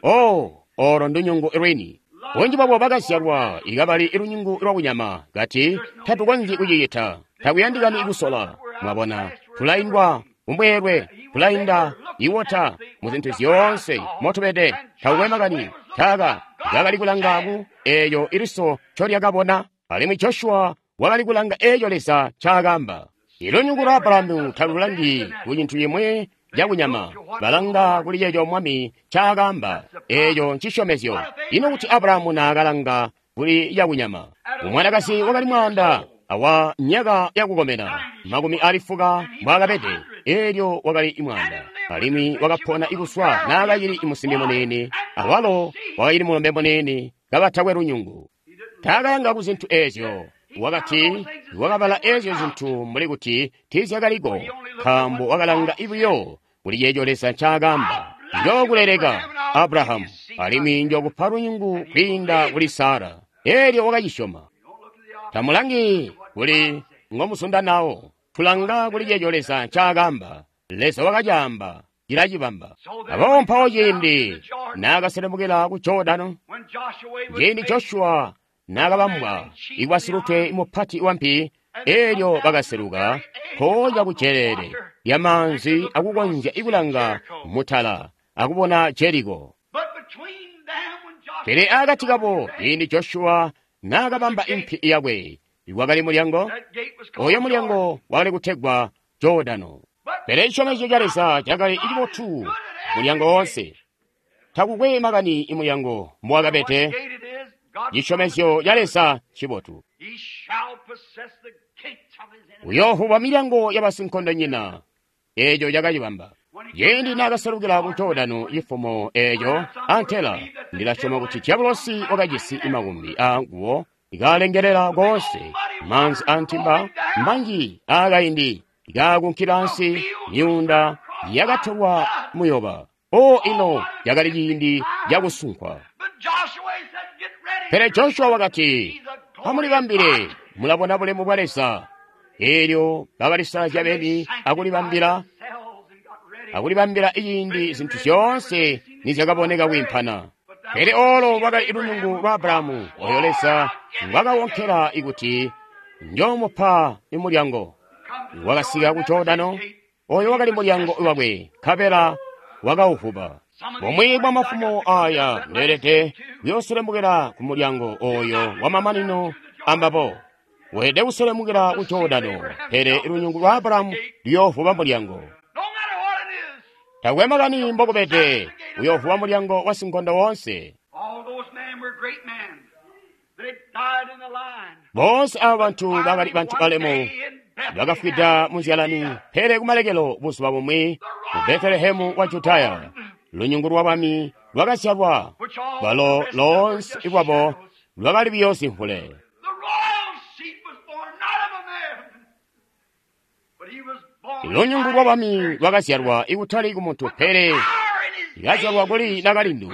Oh, olo ndunyungu lwini. Bunji bwabo bakazyalwa ikabali ilunyungu lwakunyama, kati tatukonzyi kucicita, takuyandikani ikusola. Mwabona, tulaindwa umbweelwe, tulainda iwota muzintu zyoonse motubede. Takukwe makani taka kakali kulanga ku eeyo iliso ncolyakabona, alimwi Joshua wakali kulanga eeyo Leza ncaakamba. Ilunyungu lwa Abrahamu talulangi ku cintu cimwi cakunyama, balanga kuli ceeco Mwami ncaakamba. Eeco ncisyomezyo. Ino kuti Abrahamu naakalanga kuli cakunyama? Umwanakazi wakali mwaanda awa myaka yakukomena makumi ali fuka mbwaakabede, eelyo wakali imwaanda, alimwi wakapona ikuswa naakacili imusimbi muniini, awalo wakacili mulombe muniini, kabatakwe lunyungu. Taakalanga ku zintu eezyo. Wakati wakabala eezyo zintu mbuli kuti tiizyakaliko, nkaambo wakalanga buyo kuli ceeco Leza ncaakamba. "Njookuleleka Abrahamu, alimwi njookupa lunyungu kwiinda kuli Sara." Eelyo wakacisyoma. Tamulangi kuli ngomusunda nawo, tulanga kuli ceeco Leza ncaakamba. Leza wakacaamba, cilacibamba. Aboobo mpawo ciindi naakaselemukila ku Jordano, ciindi Joshua naakabambwa ikuba silutwe mupati wampi, eelyo bakaseluka mpoonya ku jeleele lyamaanzi akukonzya ikulanga mutala akubona Jeriko. Pele akati kabo, ciindi Joshua naakabamba impi yakwe, wakali mulyango. Oyo mulyango wakali kutegwa Jordano. Pele cisyomezyo ca Leza cakali cibotu mulyango woonse. Takukwe makani imulyango mbowakabede, cisyomezyo ca Leza cibotu. Uyoovuba milyango yabasinkondonyina. Eeco cakacibamba. Ciindi naakaselukila ku Jordano cifumo eeco antela, ndilasyoma kuti Diabolosi wakajisi makumbi aanguwo kaalengelela koonse, maanzi antimba manji aakaindi kaakunkila ansi, myuunda yakatolwa muyoba. O ino cakali ciindi cakusunkwa. Pele Joshua wakati, "Amulibambile, mulabona bulemu bwa Leza." Eelyo bakalisalazya beni akulibambila akulibambila ciindi zintu zyoonse nizyakaboneka kwiimpana. Pele olo lwakali lunyungu lwa Abrahamu, oyo Leza ngwakawonkela ikuti njoomupa imulyango. Wakasika ku Jordano, oyo wakali mulyango wakwe, nkabela wakauvuba. Bumwi bwa mafumo aya ndeelede kuyooselemukela ku mulyango oyo wamamanino ambabo. Weelede kuselemukila ku Jordano, pele lunyungu lwa Abrahamu luyoovuba mulyango. No matter what it is, Takwe makani mbokubede, uyoovuba mulyango wa sinkondo wonse. all those men were great men. They died in the line. Bonse aba bantu bakali bantu balemu, bakafwida munzyalani, pele kumalekelo buzuba bumwi mu Betelehemu wa Judaya, lunyungu lwa bami lwakazyalwa, balo lonse lwabo lwakali buyo zimvule. The royal seed was born not of a man, but he was born Lunyungu lwa bami lwakazyalwa ikutali ku muntu pele power in his likazyalwa kuli nakalindu,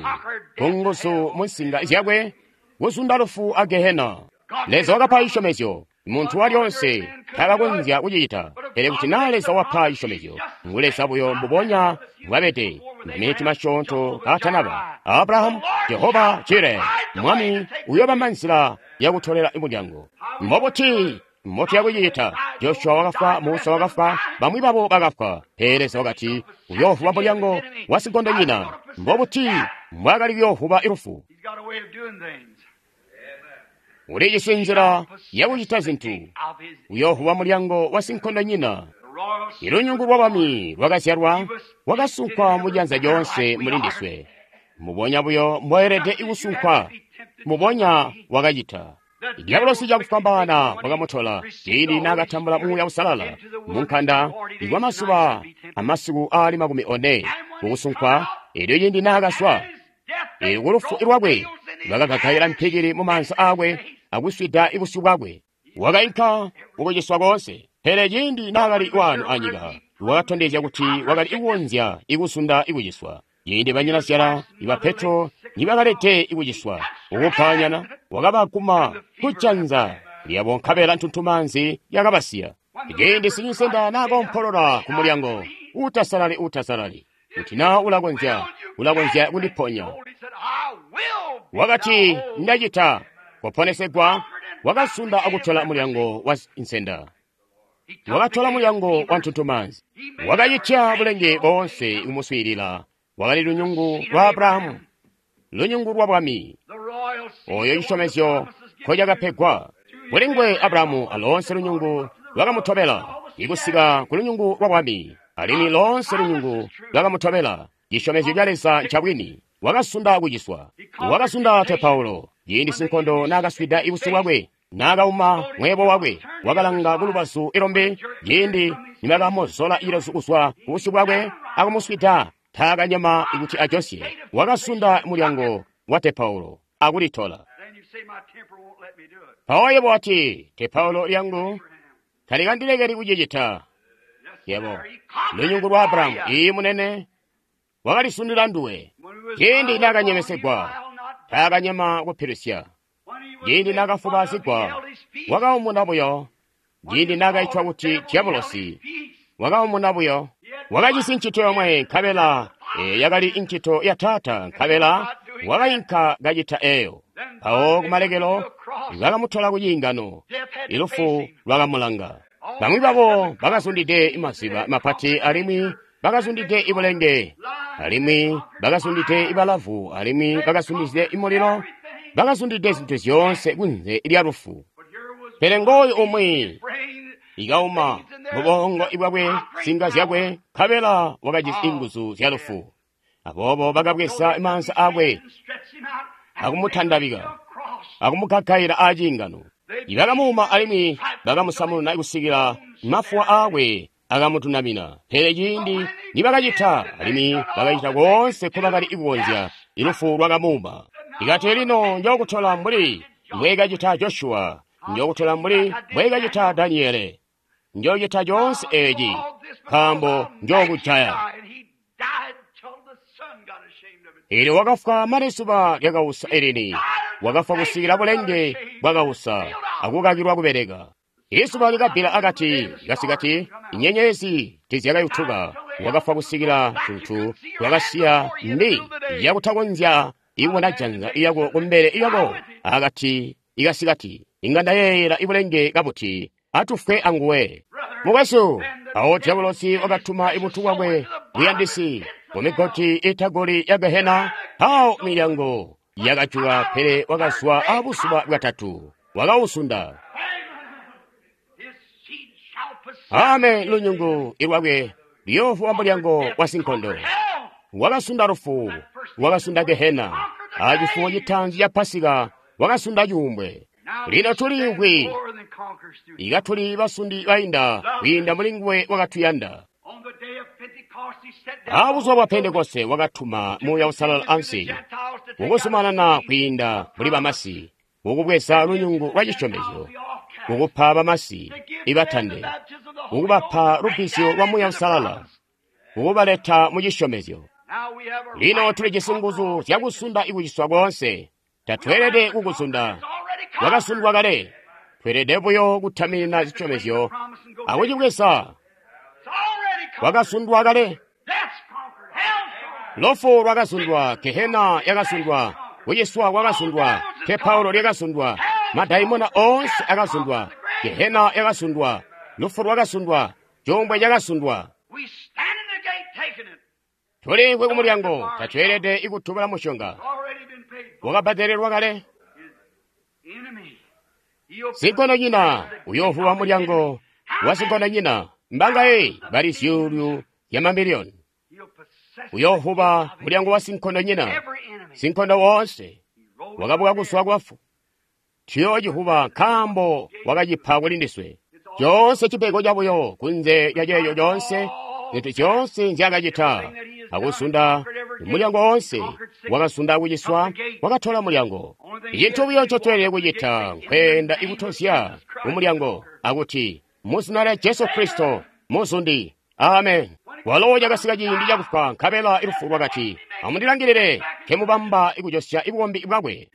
kunguzu mu nsinga zyakwe, kuzunda lufu a Gehena. Leza wakapa cisyomezyo, muntu walyonse takakonzya kucicita, pele kuti naa Leza wapa cisyomezyo, ngu Leza buyo mbubonya mbwabede, maminiti masyoonto kaatanaba. Abrahamu, Jehova Jire, Mwami uyobamba nzila yakutolela mulyango. Mbobuti mbotu yakucicita? Joshua wakafwa, Musa wakafwa, bamwi babo bakafwa. Pele Leza wakati, uyoovuba mulyango wa sinkondonyina. Mbobuti mbwaakali kuyoovuba lufu? He's got a way of doing things. Ulijisi nzila yakucita zintu. Of his Uyoovuba mulyango wa sinkondonyina. the royal seed Ilunyungu lwa bami lwakazyalwa, wakasunkwa mujanza lyonse mulindiswe. Mubonya buyo mboelede ikusunkwa, mubonya wakacita. Diabolosi cakufwambaana wakamutola ciindi naakatambula Muuya Uusalala munkanda ikwa mazuba amasiku aali makumi one kukusunkwa, elyo ciindi naakazwa death ku lufu lwakwe bakagagaila mpikili mu maanza aakwe akuswida ibusyu bwakwe. Wakainka kukuciswa koonse, pele ciindi naakali waano anyika wakatondezya kuti wakali kukonzya ikuzunda ikuciswa. Ciindi banyinazyala iba Petro nibakalete ikuciswa ukupanyana, wakabaguma kujanza lyabo nkabela ntuntumaanzi yakabasiya. Ciindi sinyisenda naakompolola ku mulyango, utasalali utasalali, kuti naa ulakonzya ulakonzya kundiponya. He said, I will be Wakati thou whole. ndacita kuponesegwa, wakasunda akutola mulyango wa nsenda, He took wakatola the mulyango gate wa of ntuntumaanzi, wakacitya bulenge boonse kumuswiilila. Wakali lunyungu lwa Abrahamu, lunyungu lwa bwami, the royal seed, oyo the one the cisyomezyo promises given nkocakapegwa kulingwe Abrahamu alonse lunyungu lwakamutobela ikusika ku lunyungu lwa bwami, alimwi lonse lunyungu lwakamutobela. Cisyomezyo ca Leza ncabwini. Wakasunda kuciswa, wakasunda te Paulo ciindi sinkondo naakaswida ibusyu bwakwe, naakauma mweebo wakwe, wakalanga kulubazu ilombe ciindi nibakamuzola ilozu kuzwa kubusyu bwakwe akumuswida, taakanyema kuti ajosye. Wakasunda mulyango wa te Paulo akulitola. Then you say, my temper won't let me do it. Mpawo yebo wati, te Paulo lyangu talikandilekeli kucicita. Yes, Yebo, sir. He conquered lunyungu it lwa for Abrahamu, you. iyi munene wakalisundila nduwe. When he was Ciindi bound, naakanyemesegwa, he filed not. taakanyema kupilusya. When he was Ciindi made fun of, he naakafubazigwa, held his peace. wakaumuna buyo. When Ciindi he was naakaitwa called kuti devil, he held diabolosi, his peace. wakaumuna buyo. Wakajisi ncito yomwe nkabela e, yakali incito ya taata, nkabela wakayinka kacita eyo. Mpawo kumalekelo bakamutola ku ciingano, Death had to face ilufu him. lwakamulanga. Bamwi babo bakazundide maziba mapati, alimwi bakazundide ibulenge, alimwi bakazundide ibalavu, alimwi bakazundide imulilo, bakazundide zintu zyoonse kunze lya lufu. But here was Pele ngooyu umwi brain ikauma mubongo ibwakwe nsinga zyakwe, nkabela wakajisi inguzu zya lufu. Aboobo bakabweza maanza aakwe stretched him out and akumutandabika cross. akumugagaila aciingano. Bakamuuma alimwi bakamusamuna kusikila mafuwa aakwe akamutunamina. Pele ciindi nibakacita, alimwi bakacita koonse nkobakali kukonzya, ilufu lwakamuuma. Ikati lino njookutola mbuli mbweekacita Joshua, njookutola mbuli mbweekacita Daniele, njoocita coonse eeci nkaambo njookujaya. And he died till the sun got ashamed of it. Eelyo wakafwa mane zuba lyakausa elini, wakafwa kusikila bulenge bwakausa akukakilwa kubeleka. Izuba likabbila akati kasikati, inyenyezi tizyakayutuka. Wakafwa kusikila tuntu twakasiya mbi yakutakonzya ikubona janza lyako kumbele lyako akati ikasikati. Inga ndayeeyela ibulenge kabuti atufwe anguwe. Mukwesu, awo diabolosi wakatuma ibutu bwakwe buyandisi kumigoti itagoli ya Gehena, awo milyango yakajuka, pele wakazwa abuzuba bwatatu, wakausunda. Amen. Lunyungu ilwakwe luyoovuba mulyango wa sinkondo. Wakasunda lufu, wakasunda gehena, acifuwo citaanzi ca Pasika wakasunda cuumbwe. Lino tuliimvwi ikatuli basundi bainda kwiinda muli nguwe wakatuyanda. Abuzuba bwa Pentekoste wakatuma Muuya Uusalala ansi, kukuzumanana kwiinda muli bamasi, kukubweza lunyungu lwa cisyomezyo, kukupa bamasi ibatande, kukubapa lubbizyo lwa Muuya Uusalala, kukubaleta mu cisyomezyo. Lino tulijisi nguzu zyakusunda ikuciswa koonse. Tatweelede kukusunda, wakasundwa kale. Tweelede buyo kutaminina zisyomezyo akucibweza. Wakasundwa kale. Lufu lwakasundwa, gehena yakasundwa, kuciswa kwakasundwa, tepaulo lyakasundwa, madaimona oonse akasundwa, gehena yakasundwa, lufu lwakasundwa, cuumbwe cakasundwa. Tuliimvwi kumulyango, tatweelede ikutubula musyonga. Wakabbadelelwa kale. Sinkondonyina uyoovuba mulyango wa sinkondonyina. Mbangaye bali zyuulu zya mamiliyoni. Uyoovuba mulyango wa sinkondonyina. Sinkondo woonse wakabuka kuzwa kubafu. Tuyoocivuba nkaambo wakacipa kuli ndiswe. Coonse cipego cabuyo kunze lya ceeco coonse, zintu zyoonse nzyaakacita akusunda mulyango woonse, wakasunda kuciswa, wakatola mulyango. Icintu buyo ncotweelede kucita nkweenda ikutozya kumulyango akuti muzina lya Jesu Kristo muzundi. Amen. Walo cakasika ciindi cakufwa, nkabela ilufu lwakati, amundilangilile nkemubamba ikujosya ibukombi bwakwe.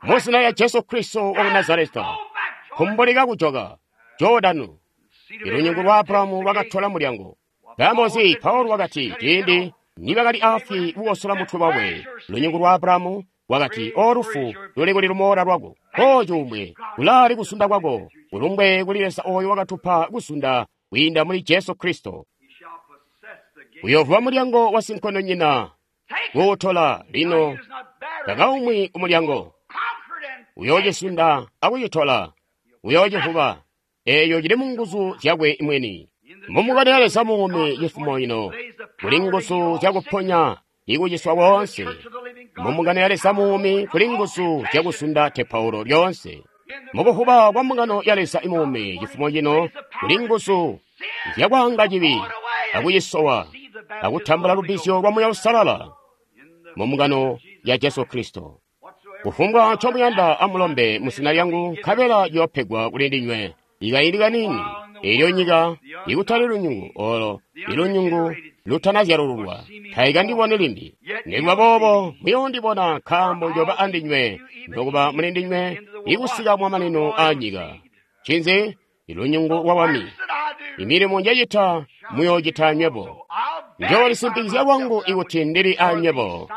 Muzina lya Jesu Kristo waku Nazareta, kumbulika kujoka Jordanu. Ilunyungu lwa Abrahamu lwakatola mulyango. Nkaambo Paulo wakati ciindi nibakali afwi kukosola mutwe wakwe, lunyungu lwa Abrahamu wakati, o lufu luli kuli lumoola lwako, o cuumbwe kulaali kusunda kwako, kulumbwe kuli Leza oyo wakatupa kusunda kwiinda muli Jesu Kristo. Uyoovuba mulyango wa sinkondonyina kuutola lino takaumwi kumulyango. Uyoocisunda akucitola, uyoocivuba. Eeyo cili mu nguzu zyakwe mwini. Mumukano ya Leza muumi cifumo ino kuli nguzu zyakuponya ikuciswa koonse. Mumukano ya Leza muumi kuli nguzu zyakusunda tepaulo lyoonse. Mukuvuba kwa mbungano ya Leza imuumi cifumo cino kuli nguzu zyakwaanga cibi akucisowa akutambula lubbizyo lwa Muuya Uusalala mu mbungano ya Jesu Kristo. Kufumbwa ncomuyanda amulombe mu zina lyangu, nkabela ciyoopegwa kuli ndinywe. Ikaindi kaniini, eelyo nyika ikutali lunyungu olo ilunyungu lutanazyalululwa taikandiboni limbi. Nikuba boobo muyoondibona, nkaambo njoba andinywe nokuba muli ndinywe ikusika kumamanino aanyika. Ncinzi? Ilunyungu lwa Bwami. Imilimo njecita muyoocita nywebo. Njoolisimpikizya lwangu ikuti ndili anywebo,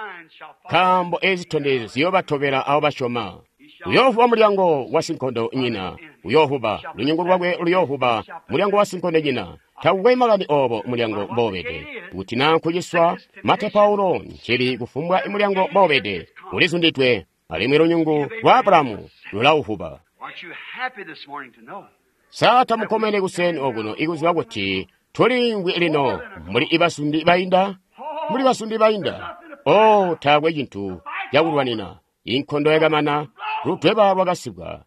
nkaambo ezi zitondezyo ziyoobatobela abo basyoma. Uyoovuba mulyango wa sinkondonyina, uyoovuba lunyungu lwakwe, luyoovuba mulyango wa sinkondonyina. Takukwe makani oobo mulyango mboobede, kuti naa nkuciswa matepaulo ncili kufumbwa mulyango mboobede ulizundidwe, alimwi lunyungu lwa Abrahamu lulauvuba. Sa tamukkomene kuseni okuno ikuziba kuti tuliimvwi lino muli ibasundi bainda? Muli basundi bainda. Oh, taakwe cintu cakulwanina. Inkondo yakamana, ludweba lwakasibwa,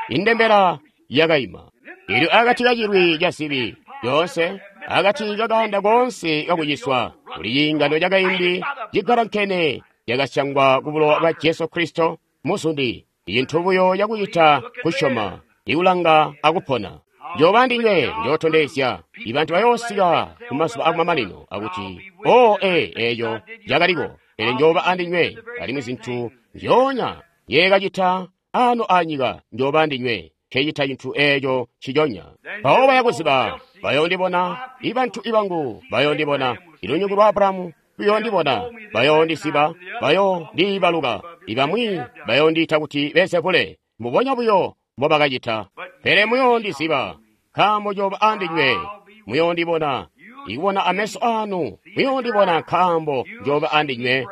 indembela yakaima. Ilyo akati kacilwi ca zibi yoonse, akati kakaanda koonse kakuciswa, kuli ciingano cakaindi cigalankene cakasyangwa ku bulowa bwa Jesu Kristo muzundi. Icintu buyo cakucita kusyoma, ikulanga akupona. Njoba ndinywe njootondezya ibantu bayoosika kumazuba akumamanino akuti, o ee, eeco cakaliko, pele njoba andinywe, alimwi zintu nzyoonya nyeekacita ano anyika njoba andinywe, nkecita cintu eeco nciconya. Mpawo bayakuziba, bayoondibona, ibantu ibangu bayoondibona, ilunyungu lwa Abrahamu luyoondibona, bayoondisiba, bayoondiibaluka, ibamwi bayoondiita kuti Beelzebule, mbubonya buyo mbobakacita. Pele muyoondiziba, nkaambo njoba andinywe, muyoondibona, ikubona ameso anu, muyoondibona nkaambo njoba andinywe,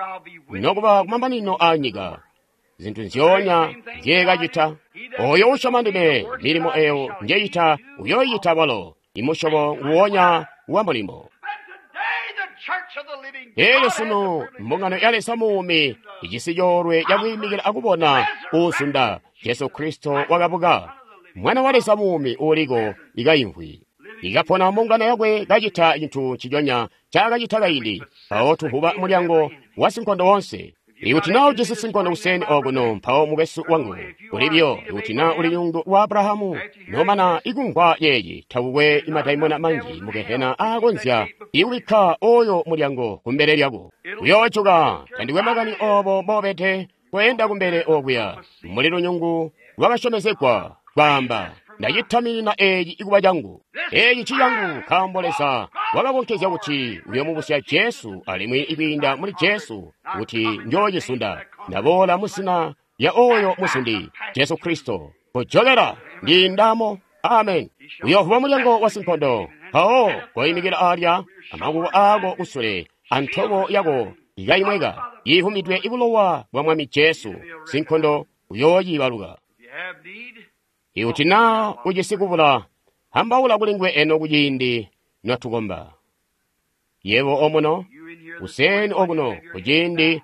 nokuba kumamanino aanyika. Zintu nzyoonya nzyeekacita. Oyo usyoma ndime, milimo eyo njeyita uyoyita balo, imusyobo nguwonya wa mulimo. Elyo sunu mbungano ya Leza muumi ijisi coolwe cakwiimikila akubona uuzunda Jesu Kristo wakabuka, Mwana wa Leza muumi uuliko ikayimvwi, ikapona mbungano yakwe kacita cintu nciconya ncaakacita kaindi. Mpawo tuvuba mulyango wa sinkondo wonse. Ikuti naa ujisi sinkondo kuseni okuno, mpawo mukwesu wangu ulibyo. Ikuti naa uli lunyungu lwa Abrahamu, nomana ikumvwa yeeyi, takukwe imadaimona manji mu gehena aakonzya ikubikka oyo mulyango kumbele lyako. Uyoojuka. Tandikwe makani obo mbobede kweenda kumbele okuya muli lunyungu lwakasyomezegwa, kwaamba, ndacitaminina eeci ikuba cangu, eeci cicangu, nkaambo Leza wakakonkezya kuti uyomubusya Jesu, alimwi ikwiinda muli Jesu kuti njoocisunda. Ndaboola muzina lya oyo musundi Jesu Kristo. Kujokera ndiindamo. Amen. Uyovuba mulyango wa sinkondo, mpawo koyimikila alya amakuko ako kusule antobo yako ikayimweka yihumidwe ibulowa bwa Mwami Jesu. Sinkondo uyooyibaluka. Ikuti naa ujisi kubula, ambaula kuli nguwe eno kuciindi notukomba. Yebo omuno, kuseni okuno, kuciindi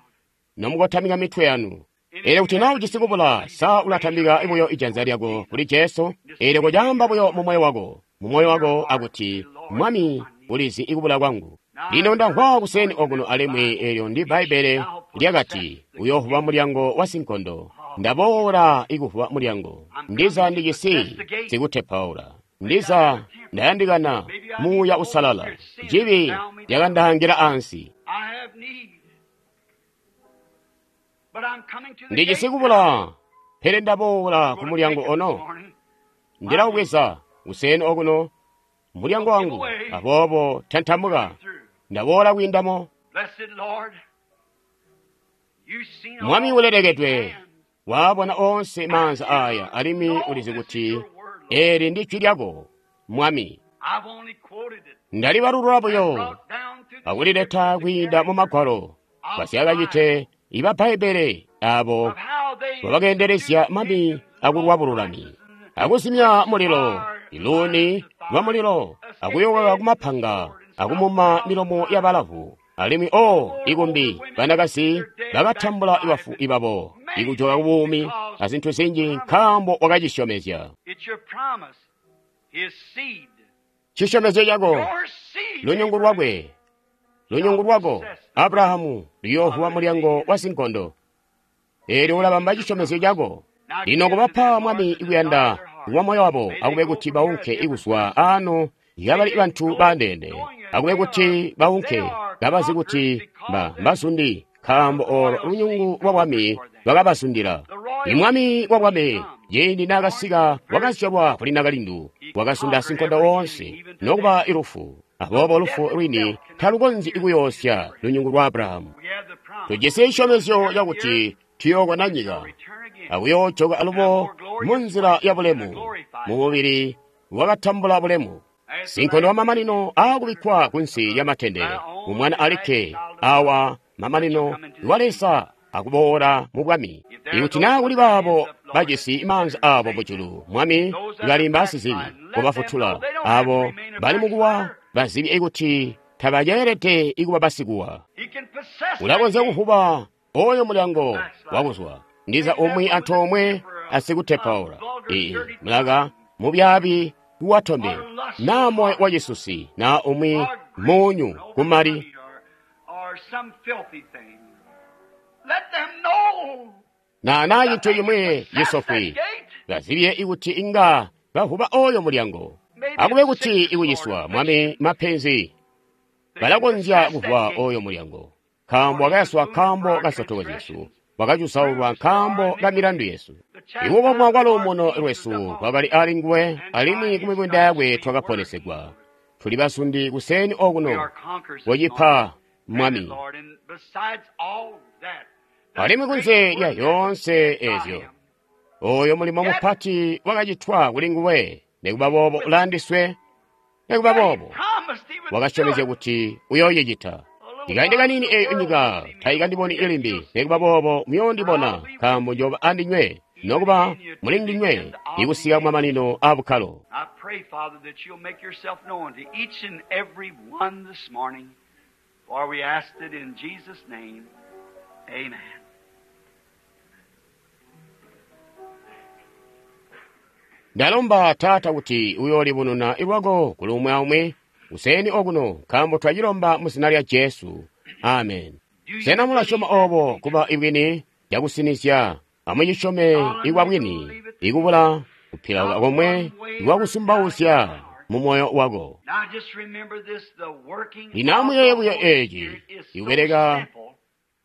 nomukotamika mitwe yanu. Elyo kuti naa ujisi kubula, sa ulatambika buyo ijanza lyako kuli Jesu? Elyo kocaamba buyo mu moyo wako, mu moyo wako akuti, Mwami, ulizi ikubula kwangu. Lino ndamvwa kuseni okuno alimwi elyo ndi Bbaibbele lyakati, uyovuba mulyango wa sinkondo. Ndaboola ikuvuba mulyango. Ndiza ndijisi sikutepaula. Ndiza ndayandikana Muuya Usalala. Cibi lyakandaangila ansi. Ndijisi kubula, pele ndaboola ku mulyango ono. Ndilawubweza kuseni okuno mulyango wangu, aboobo tantamuka. Ndaboola kwiindamo. Mwami ulelekedwe, waabona onse maanza aya, alimwi ulizi kuti eli ndi jwi lyako, Mwami. Ndalibalulula buyo akulileta kwiinda mu Magwalo basyakacite iba Bbaibbele abo babakeendelezya mami akulwa bululami, akuzimya mulilo, iluuni lwa mulilo, akuyokoka kumapanga, akumuma milomo ya balavu. Alimwi o ikumbi banakazi bakatambula bafu ibabo ikujoka kubuumi azintu zinji, nkaambo wakacisyomezya. Cisyomezyo cako, lunyungu lwakwe, lunyungu lwako Abrahamu luyoovuba mulyango wa sinkondo. Eelyo ulabamba cisyomezyo cako. Lino kubapa Mwami ikuyanda kwa moyo wabo, akube kuti baunke ikuzwa ano yabali bantu bandeene, akube kuti baunke kabazi kuti mba mbazundi, nkaambo olo lunyungu lwa bwami lwakabazundila. Imwami wa bwami ciindi naakasika wakazyalwa kuli nakalindu, wakazunda sinkondo woonse nokuba ilufu. Aboobo lufu lwini talukonzyi kuyoosya lunyungu lwa Abrahamu. Tujisi cisyomezyo cakuti tuyookona nyika akuyoojoka alubo munzila ya bulemu, mumubili wakatambula bulemu. Sinkondo wa mamanino aakubikkwa kunsi lya matende, umwana alikke awa mamanino wa Leza akuboola mu bwami. Ikuti naa kuli baabo bajisi maanza aabo mujulu, Mwami, bali mbasizibi, kubafutula abo bali mukuwa bazibi kuti tabaceelede ikuba basikuwa. Ulakonzya kuvuba oyo mulyango wakuzwa ndiza umwi antoomwe asikutepaula ii mulaka mubyaabi watombe, naa moyo wacisusi, naa umwi munyu kumali, na naa cintu cimwi cisofwi. Bazibye ikuti inga bavuba oyo mulyango. Akube kuti ikuciswa, Mwami, mapenzi balakonzya kuvuba oyo mulyango, nkaambo wakayaswa nkaambo ka nsotoko zyesu, wakacusaulwa nkaambo ka milandu yesu. Ikukomwa kwa luumuno lwesu kwakali ali nguwe, alimwi ku mibunda yakwe twakaponesegwa. Tuli basundi kuseni okuno, kocipa Mwami. Alimwi kunze lya yoonse ezyo, oyo mulimo mupati wakacitwa kuli nguwe. Nikuba boobo ulandiswe, nikuba boobo wakasyomezya kuti uyooyicita. Ikaindi kaniini eyo nyika taikandiboni ilimbi, nikuba boobo muyoondibona, nkaambo njooba andinywe, nokuba muli ndinywe, ikusika kumamanino a bukkalo. I pray, Father, that you'll make yourself known to each and every one this morning, for we asked it in Jesus' name. Amen. Ndalomba Taata kuti uyoolibununa lwako kuli umwi aumwi kuseeni okuno, nkaambo twacilomba mu zina lya Jesu. Amen. Sena mulasyoma obo kuba ibwini cakusinizya? Amucisyome ikwa bwini, ikubula kupilauka komwe ikwakusumbauzya mu moyo wako. Now just remember this, the working Lino amuyeeye buyo of the Holy eeci, Spirit is so ikubeleka simple,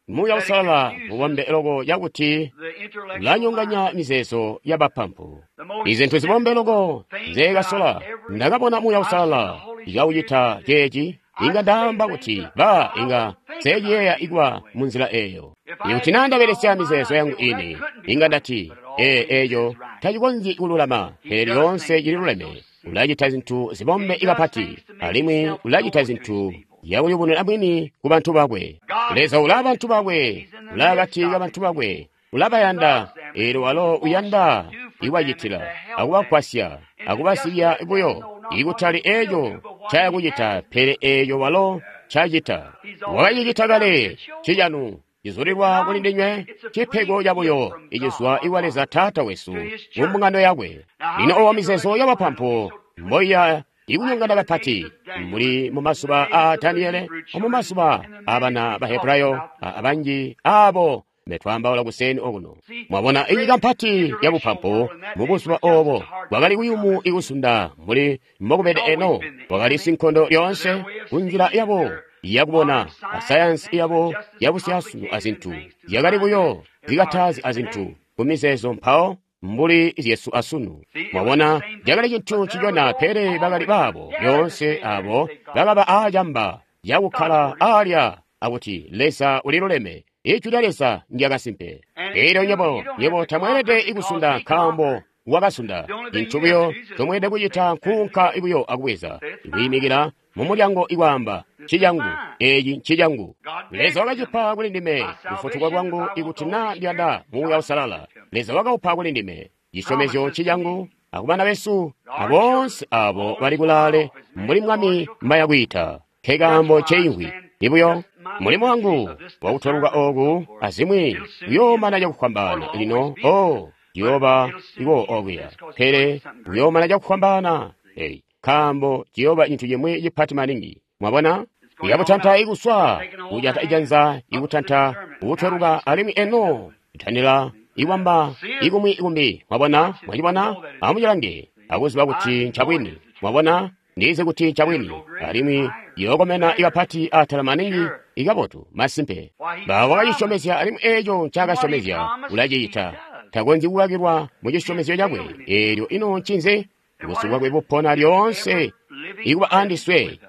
Muuya Uusalala mubombe loko cakuti the intellectual ulanyonganya mind. mizeezo y'abapampu. The most Izintu zibombe loko things nzeekasola that I've ever ndakabona Muuya I've seen the Uusalala Holy ikaucita Spirit do. ceeci, I inga say ndaamba things kuti that ba I inga wouldn't think about nseeciyeeya it ikuba anyway. mu nzila eyo. If I had Ikuti naa used my ndabelesya own mind, mizeezo I'd yangu say, well, that ini, couldn't be inga right. ndati But it ee always eeyo is right. tacikonzyi kululama, He pele does lyoonse things that are so cililuleme. simple. Ulacita zintu zibombe He does ikapati, things to make alimwi himself ulacita known to his zintu people. yakuyubununa bwini ku bantu bakwe. God Leza is ulaa with bantu his people. bakwe, He's in the ulaa midst akati of ka bantu his bakwe, people. He ulabayanda, loves them and eelyo he walo wants to uyanda do for them and iwacitila, to help them akubagwasya, and to just akubasiya let them buyo, know not what ikutali he will eeco do, but what he ncayakucita, has pele done. eeco walo ncacita. He's already Wakacicita done kale, it. It's yours. cicanu, cizulilwa kuli Now, ndinywe, it's a free cipego gift cabuyo from God icizwa our iwa Leza Father Taata wesu to his mu church. mbungano yakwe. Now, how Lino the owa mizeezo intellectual mind will be y'abapampu so twisted mboiya like ikunyongana in the days kapati of Daniel mbuli mu and the mazuba days a of the Daniele Hebrew omu children mazuba and the many abana we talk Bahebrayo about this morning. abanji abo mbetwaambaula kuseeni okuno. See, Mwabona the inyika great mpati intellectual yabupampu world in that mu day was buzuba just as obo hard to bwakali overcome kuyumu as it is. ikusunda mbuli mbokubede It's eno always been the bwakali enemy sinkondo to their lyoonse way of ku nzila seeing and yabo their yakubona modern science and asayansi things were yabo just as yabusyaasunu complicated and azintu things to the yakali mind buyo as ours zikatazi is azintu today. ku mizeezo mpawo mbuli zyesu asunu. See, it was the Mwabona same thing, cakali cintu but there were ncicona those pele bakali always baabo dared to lyoonse stand there and abo say, God bakaba is right. aacamba God's yakukkala word is true. aalya akuti Leza uliluleme, ijwi lya Leza ndyakasimpe. And Eelyo you, nyebo you don't have nyebo to tamweelede conquer because ikusunda he nkaambo conquered. wakasunda. The only thing Cintu you have buyo to do is just chomweelede say, kucita that's nkuunka it. buyo akubweza Say it's mine. ikuyimikila mu mulyango ikwaamba This is ncicangu mine. eeci ncicangu. God gave Leza it to me. wakacipa kuli ndime My kufutukwa salvation, if kwangu I want the ikuti Holy naa Spirit, ndiyanda Muuya God Uusalala. gave it to me. Leza wakaupa kuli ndime cisyomezyo Promises to ncicangu me. akubana besu Our children, aboonse abo all bali is far kulaale off, as many mbuli as the Lord Mwami shall call. mbayakwiita. That's Nkekaambo why I nceimvwi stand ibuyo just my mulimo ministry wangu of this wakutweluka discernment and so oku forth. azimwi It'll soon kuyoomana end, or cakufwambaana it'll lino always be o there. But ciyooba it'll soon iwo end okuya this because it's pele going to something great. kuyoomana cakufwambaana ei nkaambo ciyooba cintu cimwi cipati maningi. Mwabona It's going on ikabutanta up, ikuswa taking hold of the kujata hand, ijanza up to the ikutanta discernment. Now ukutweluka it's alimwi eno ithanila iwamba See it? ikumwi ikumbi. Mwabona Watch it and mwacibona know that it's true. amucilange See? akuziba I kuti know it ncabwini. is the truth. Mwabona ndizi kuti It'll ncabwini go greater and alimwi higher, yookomena better. ikapati atala maningi Sure. ikabotu masimpe. Why, he Ba promised. wakacisyomezya alimwi eeco And what he ncaakasyomezya promised, he ulacicita. does. Takonzyi kukakilwa mu He cisyomezyo is cakwe. failing himself. Eelyo ino ncinzi? And Busu what is bwakwe it? bupona His lyoonse ever living ikuba presence andiswe with us.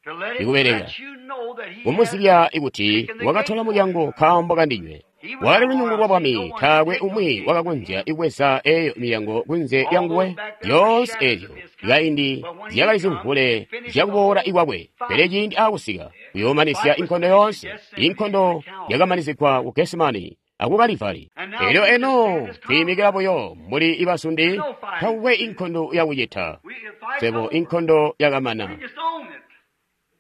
To let it ikubeleka let you know that he has kumuzibya ikuti taken the wakatola gate for mulyango you. nkaambo kandinywe. He was Wakali the lunyungu lwa royalty. No bwami one could taakwe take those umwi gates from wakakonzya him. ikubweza eyo milyango kunze All lyanguwe. those back there were Lyoonse shadows eezyo of his coming. kaindi But when he zyakali comes, zimvule he finished the zyakuboola whole ikwakwe. Pele fight. ciindi aakusika The kuyoomanisya fight was inkondo finished at yoonse. Gethsemane and Inkondo at Calvary. yakamanisigwa ku Gesemani aku Kalivari. And now Eelyo we just eno stand as tuyimikira conquerors. buyo mbuli There's ibasundi no fighting tawe to do. inkondo yakucita. We, the fight's Sebo over. inkondo We yakamana. just own it.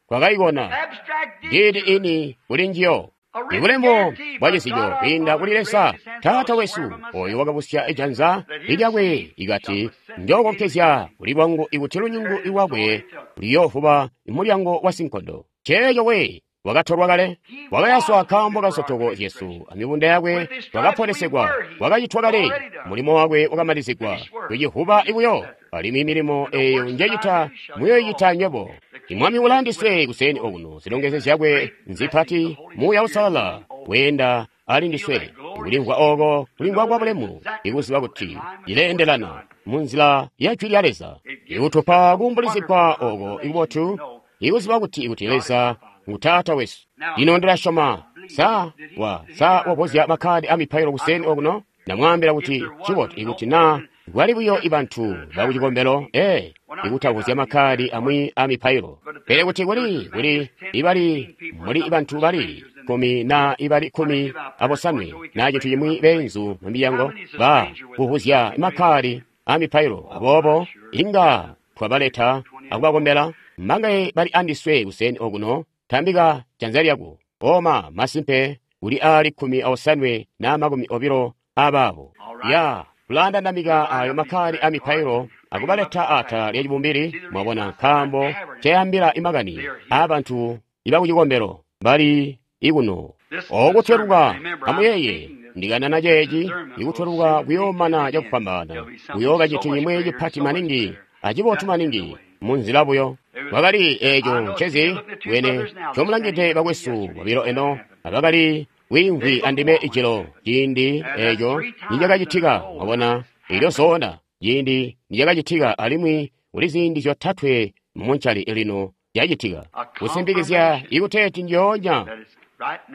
Twakayikona Abstract nditi deed ini kuli njiyo. A written Ibulembo guarantee bwa by cisico God our kwiinda Father kuli who Leza raised his hands, Taata I'll wesu swear by oyo myself wakabusya ijanza that his lilyakwe seed shall ikati possess the gate of njookonkezya the kuli lwangu ikuti lunyungu There it is. That's all lwakwe it took. luyoovuba mulyango wa sinkondo. Ceeco we wakatolwa kale He wakayaswa was nkaambo wounded ka for our nsotoko zyesu transgressions. amibunda yakwe With his stripes we twakaponesegwa were healed. wakacitwa kale Already done. mulimo wakwe wakamalizigwa Finished work. tucivuba He is ibuyo successor. alimwi milimo And the eyo works that I njecita do shall you muyoyicita also. nywebo. The Imwami King is with ulandiswe us. kuseni okuno zilongezo zyakwe Great blessing, the nzipati Holy Muuya Spirit Uusalala moving over. weenda ali Feel ndiswe that glorious kulimvwa feeling oko to kulimvwa know kwa that it's bulemu exactly ikuziba in kuti line with the Word of ileendelana God. mu nzila ya jwi lya Leza It gives us ikutupa such kuumbulizigwa wonderful oko consolation to ikubotu know ikuziba kuti kuti God is Leza our Father. ngu Taata wesu. Now, Lino ndilasyoma I believe sa that he wa that he sa got wavozya there. makhadi a mipailo I kuseni told okuno him namwambira if kuti there chibotu wasn't no ikuti naa open Kwali buyo ibantu bakucikombelo, ee, ikutavuzya makkadi amwi a mipailo. Pele kuti kuli, kuli ibali muli bantu bali kumi na ibali kumi abosanwe na cintu cimwi beenzu mu milyango ba kuvuzya makkadi a mipailo. Aboobo inga twabaleta akubakombela. Mbangaye bali andiswe kuseni okuno, tambika janza lyako. Oma masimpe kuli ali kumi osanwe na makumi obilo abaabo. Ya kulandandamika ayo makkadi a mipailo akubaleta atala lya cibumbili, mwabona, nkaambo cayambila imakani aabantu ibakucikombelo bali ikuno. Okutweluka, amuyeye, ndikanana ceeci, ikutweluka kuyoomana cakufwambaana, kuyooba cintu cimwi cipati maningi acibotu maningi munzila buyo. Kwakali eeco ncezi bwene ncomulangide bakwesu bobilo eno abakali wiimvwi andime ijilo ciindi eeco nicakacitika, mwabona, elyo zona ciindi nicakacitika, alimwi kuli ziindi zyotatwe mumuncali lino zyacitika kusimpikizya ikuteeti njoonya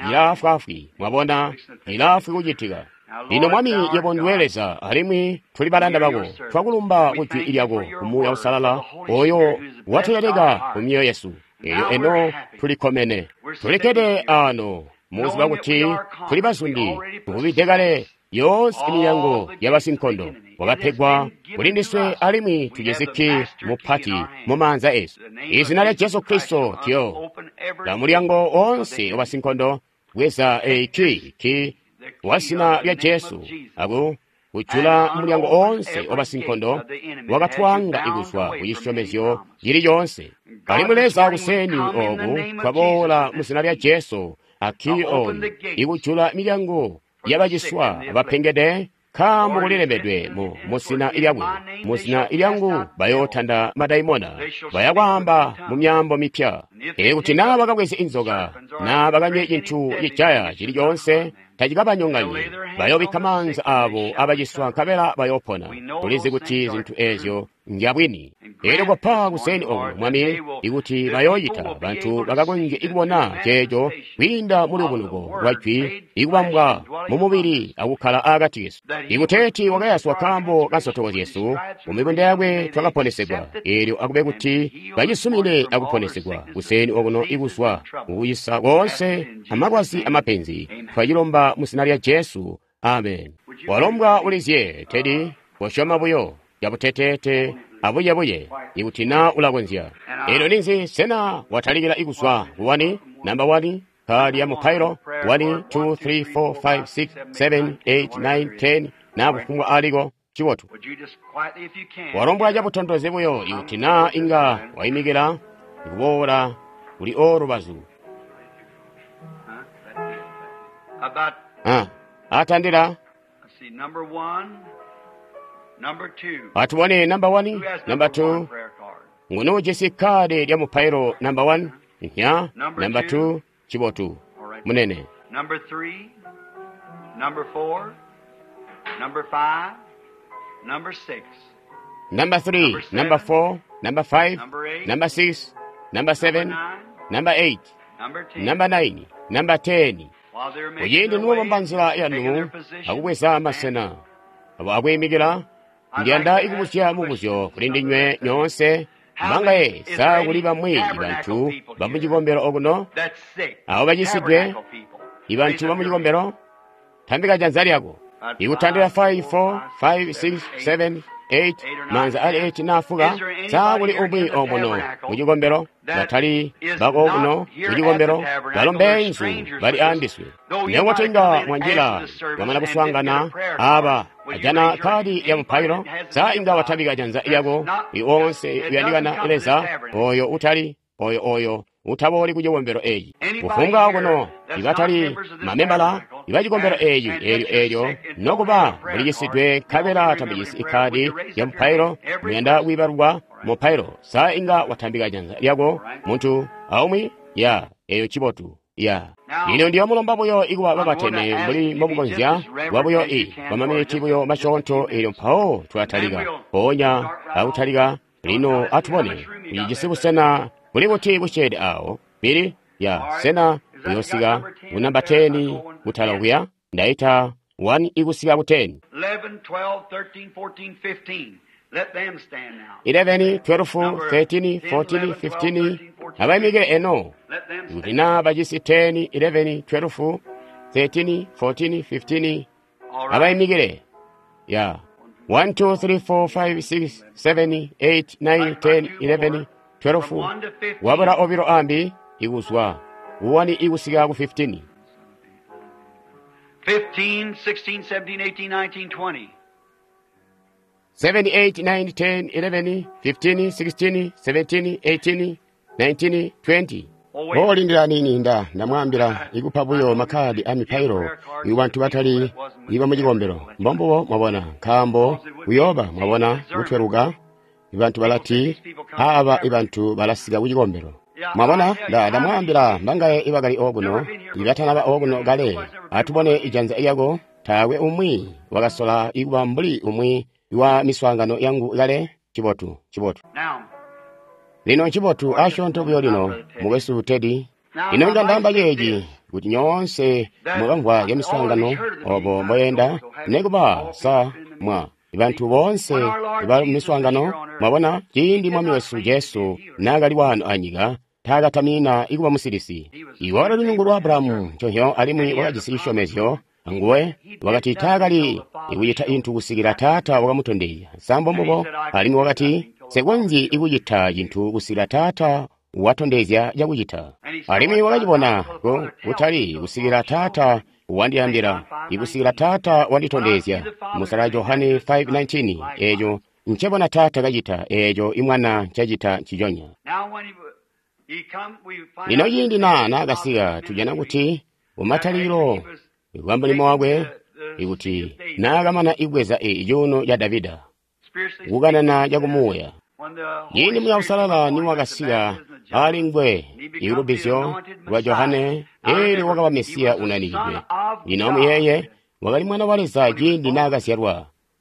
ilaafwaafwi, mwabona, ilaafwi kucitika. Lino Mwami, yebo nduwe Leza, alimwi tuli balanda bako. Twakulumba ku jwi lyako ku Muuya Uusalala oyo watuleleka ku myoyo yesu. Elyo eno tulikkomene. Tulikkede ano mukuziba kuti tuli bazundi, tuvubide kale yoonse imilyango yabasinkondo. Wakapegwa kuli ndiswe alimwi tujisi kki mupati mu maanza esu. Izina lya Jesu Kristo tyo la mulyango woonse wabasinkondo, bweza eyi kki ki wa zina lya Jesu aku kujula mulyango oonse wabasinkondo wakatwanga ikuzwa ku cisyomezyo cili coonse. Alimwi Leza kuseni oku twaboola mu zina lya Jesu akki oyu ikujula milyango yabaciswa abapengede, nkaambo kulilembedwe mu muzina lyakwe, mu zina lyangu bayootanda madaimona, bayakwaamba mu myaambo mipya. Ee, kuti naa bakabweze inzoka naa bakanywe cintu cijaya cili coonse tacikabanyonganyi, bayoobikka maanza aabo abaciswa nkabela bayoopona. Tulizi kuti zintu eezyo ndyabwini. Elyo kopa kuseni oku, Mwami, ikuti bayooyita bantu bakakonzye kubona ceeco kwiinda mu lubunuko lwa jwi ikubambwa mu mubili akukkala akati kesu. Ikuteeti wakayaswa nkaambo ka nsotoko zyesu, mu mibunda yakwe twakaponesegwa. Elyo akube kuti bacisumine akuponesegwa kuseni okuno ikuzwa mukucisa koonse amalwazi amapenzi. Twacilomba mu zina lya Jesu. Amen. Walombwa ulizye, Teddy, kosyoma buyo cabuteteete abuyebuye ikuti naa ulakonzya. Elyo ninzi, sena watalikila ikuzwa ku wani, namba wani, kadi ya mupailo, one, two, three, four, five, six, seven, eight, nine, ten, naa kufumbwa aliko, cibotu. Walombwa cabutontozi buyo ikuti naa inga waimikila kuboola kuli olubazu. Ah, atandila. Atubone namba one, namba two. Nguni ujisi kadi lya mupailo namba one? Nya, namba two, cibotu. Munene. Number three, number four, number five, number six. Number three, number four, number five, number six, number seven, number eight, number nine, number ten. Kuciindi nuwabamba nzila yanu akubweza masena abo akuyimikila, ndiyanda ikubuzya mubuzyo kuli ndinywe nyoonse. Mbangaye sa kuli bamwi bantu bamucikombelo okuno abo bacisidwe, ibantu bamucikombelo, tambika janza lyako. Ikutandila five, four, five, six, seven, eight, manza ali eight nafuka. Sa kuli umwi omuno mucikombelo batali bako kuno mucikombelo, balo mbeenzu bali andiswe. Nekuti mwanjila bamana kuswaangana aba ajana kadi ya mupailo, sa inga watambika janza lyako liwonse uyandikana Leza oyo utali oyo oyo utabooli ku cikombelo eeci. Kufumbwa kuno ibatali mamembala ibacikombelo eeci eelyo eelyo nokuba mulicisidwe nkabela tambijisi ikadi ya mupailo, muyanda kwiibalwa mupailo, sa inga watambika janza lyako muntu aumwi ya eyo cibotu ya. Lino ndiyomulomba buyo ikuba babateme mbuli mbomukonzya kuba buyo i kwa maminiti buyo masyoonto, eelyo mpawo tulatalika mpoonya akutalika. Lino atubone ucijisi busena buli buti busyeede awo bili ya sena uyosika ku namba ten kutala kuya. Ndaita one ikusika ku ten. eleven, twelve, thirteen, fourteen, fifteen. Let them stand now. eleven, twelve, thirteen, fourteen, fifteen. Abayimikire eno. Let them Kuti stand. na bajisi ten, eleven, twelve, thirteen, fourteen, fifteen. All right. Abayimikire. Yeah. one, two, three, four, five, six, seven, eight, nine, ten, eleven, twelve. Wabula obilo ambi ikuzwa. one ikusika ku fifteen. fifteen, sixteen, seventeen, eighteen, nineteen, twenty. seven, eight, nine, ten, eleven, fifteen, sixteen, seventeen, eighteen, nineteen, twenty. Olindira nini nda ndamwambira ikupa buyo makhadi a mipailo iwo bantu batali iba muchikombero mbombubo mwabona nkambo kuyoba mwabona kutweluka ibantu balati aba ibantu balasika kuchikombero mwabona nda ndamwambira mbangaye ibakali okuno ibatanaba okuno kale atubone ijanza iyako tawe umwi wakasola ikuba mbuli umwi wa miswaangano yangu kale chibotu chibotu Now, lino nchibotu asyoonto buyo lino mukwesu Teddy ino ndandamba ceeci kuti nyoonse mwakamvwa ya miswaangano obo mboyenda nekuba sa mwa bantu boonse ba miswaangano mwabona ciindi mwami wesu Jesu naakali wano anyika taakatamina ikuba musilisi iwe wakali lunyungu lwa Abrahamu nconhyo alimwi wakajisi cisyomezyo anguwe wakati taakali ikucita inthu kusikila Taata wakamutondezya nsambo mbubo alimwi wakati sekonzyi ikucita cinthu kusikila Taata watondezya cakucita alimwi wakacibona ku kutali kusikila Taata wandiyambira ikusikila Taata wanditondezya musala Johane five nineteen eco ncebona Taata kacita eco imwana ncacita nciconya now when he, he come, we find lino out ciindi na naakasika tujana kuti kumatalikilo kwa mulimo wakwe ikuti naakamana ikubweza icuuno ca Davida spiritually kukanana cakumuuya when the Holy ciindi Muuya Spirit Usalala came upon him at the niwakasika baptism of John, ali ngwe he became the ikulubizyo anointed lwa Messiah. Johane Now eli remember, wakaba he Mesiya was the Son unanikidwe of lino God. muyeye wakali mwana wa Leza ciindi naakazyalwa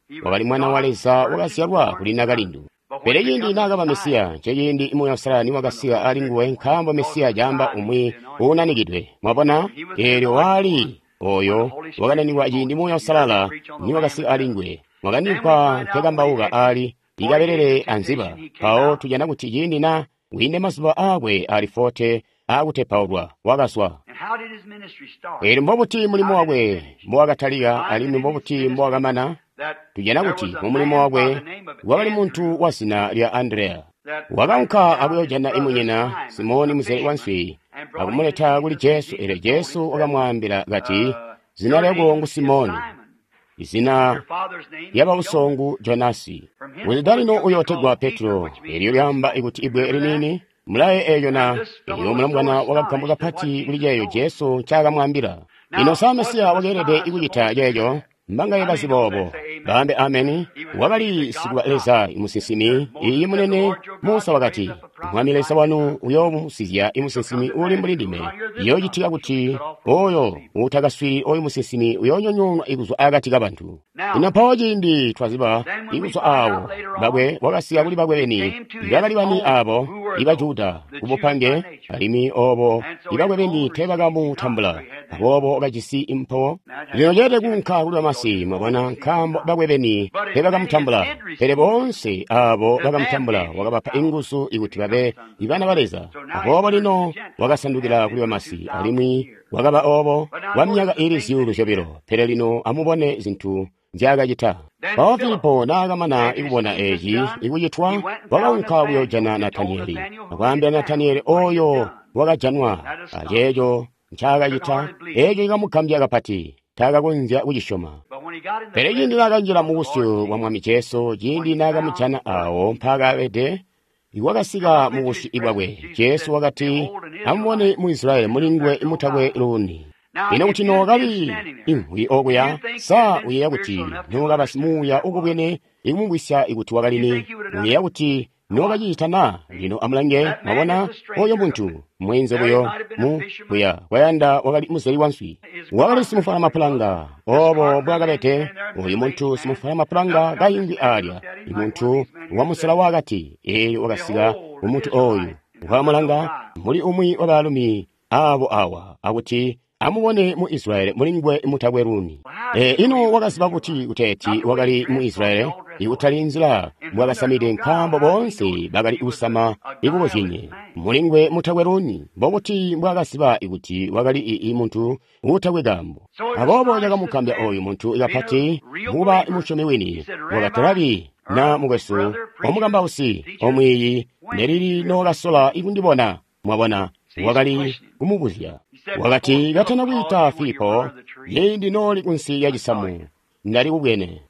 He was wakali mwana wa God's Leza wakazyalwa virgin kuli born son. nakalindu But when pele he ciindi became the naakaba Messiah, Mesiya nceciindi Muuya Usalala niwakasika ali nguwe nkaambo Mesiya caamba umwi uunanikidwe mwabona eelyo waali oyo wakananikwa ciindi Muuya Usalala niwakasika ali nguwe mwakandimvwa nkekambauka ali ikabelele anziba mpawo tujana kuti ciindi na wiinde mazuba aakwe ali forte aakutepaulwa wakazwa and how did his ministry start? eelyo mbobuti mulimo wakwe mbowakatalika alimwi mbobuti mbowakamana That tujana there kuti was a mu mulimo man by wakwe the name of wakali Andrew munthu wa zina lya Andreya that wakanka went down his akuyojana brother imunyina Simon, Simoni a muzeli wa fisherman, nswi and brought him to akumuleta kuli Jesus. And Jesu eelyo Jesus told him, Jesu said, wakamwaambila kati uh, zina Your lyako name ngu is Simoni Simon. izina Your father's name is lya Jonas. bausongu Jonasi From kuti henceforth dalino you'll be uyotegwa called Peter, Petro which means eelyo rock. lyamba ikuti ibwe Remember that? liniini mulaye eeyo And na this fellow eelyo was so mulamubwana wakagambwa astonished at what kapati kuli Jesus ceeyo told him. Jesu ncakamwaambila ino Now, sa wasn't Mesiya the wakeelede Messiah ikucita supposed to do ceeco that? mbangaye How bazi many knows boobo that? Say amen. baambe ameni He was wakali he's the sikuba God Leza prophet. imusinsimi Moses iyi said, The munene Lord your God Musa will raise wakati up a prophet Mwami Leza like wanu me. uyoomusizya Shall come imusinsimi to uli pass, mbuli if you will ndime not hear this iyoocitika prophet, shall be kuti cut off from among oyo the people. utakaswili oyu musinsimi uyoonyonyoonwa ikuzwa akati kabantu lino Now, mpawo ciindi twaziba then when we ikuzwa find out awo later on bakwe wakasiya that kuli bakwe beni came to his ibakali bani own, abo who were iba those? Juda The Jews by kubupange nature. alimwi obo And so his ibakwe beni own received him not, teebakamutambula so he had them. aboobo wakajisi impo Now that lino had ceelede to kuunka kuli go bamasi to mwabona the nkaambo God. bakwe beni But as many as teebakamutambula did pele receive him, boonse abo to them bakamutambula gave he wakabapa power inguzu to ikuti become babe sons of ibana God. ba Leza So now he aboobo turned to the lino Gentiles, wakasandukila has kuli been for bamasi two thousand alimwi years. wakaba obo But now kwa notice myaka the ili things that zyuulu he zyobilo did. pele lino amubone zinthu nzyaakacita Then mpawo Philip, Filipo naakamana after ikubona seeing this eci done, ikucitwa he went and found wakaunka Nathanael kuyojana and told Nataniyeli Nathanael who he akwaambila had found Nataniyeli and what he had oyo done. wakajanwa That astonished. aceeco Couldn't ncaakacita hardly believe it. eeco cikamugambya kapati taakakonzya kucisyoma But when he got in the pele ciindi presence naakanjila of mu the Lord busyu bwa Jesus, Mwami Jesu when ciindi he found naakamujana work, awo mpaakabede wakasika coming mu into busyu his bwakwe presence, Jesus Jesu said, wakati Behold, an amubone Israelite, mu Israeli in muli whom nguwe there's no mutakwe guile. luuni Now, ino if kuti you'd been nookali standing there, imvwi do you okuya think you'd sa have been uyeeya kuti spiritual enough to nookaba understand who simuuya that was? ukubwene ikumubwisya ikuti wakali You ni think you would have done uyeeya it? kuti Why? nookacicita na lino amulange That man mwabona is a oyo stranger to muntu him. mwenze There he buyo might have been a mu fisherman. kuya kwayanda wakali muzeli wa nswi His wakali carpenter simufala he was. mapulanga This obo carpenter man bwakabete standing there, oyu middle-aged muntu man. simufala Up mapulanga comes this kayingwi man, alya looked at him like one of imuntu these men here wa and musela said, wakati eelyo wakasika Behold, an umuntu oyu Israelite, in whom there's no wakamulanga guile. muli umwi wa baalumi abo awa akuti Amubone mu Israyeli mulingwe mutakwe luuni. E, ino wakaziba kuti kuteeti wakali mu Israyeli ikutali nzila mbwakasamide nkaambo boonse bakali kusama ikukozyenye. Mulingwe mutakwe luuni mbokuti mbwakaziba ikuti wakali ii muntu uutakwe kaambo. Aboobo cakamugambya oyu muntu kapati mukuba musyomi wini wakati, Rabi, na mukwesu, omukambausi, omwiiyi, nelili nokasola ikundibona. Mwabona, wakali kumubuzya. Wakati, katana kwiita Filipo, ciindi nooli kunsi ya cisamu, ndali kubwene.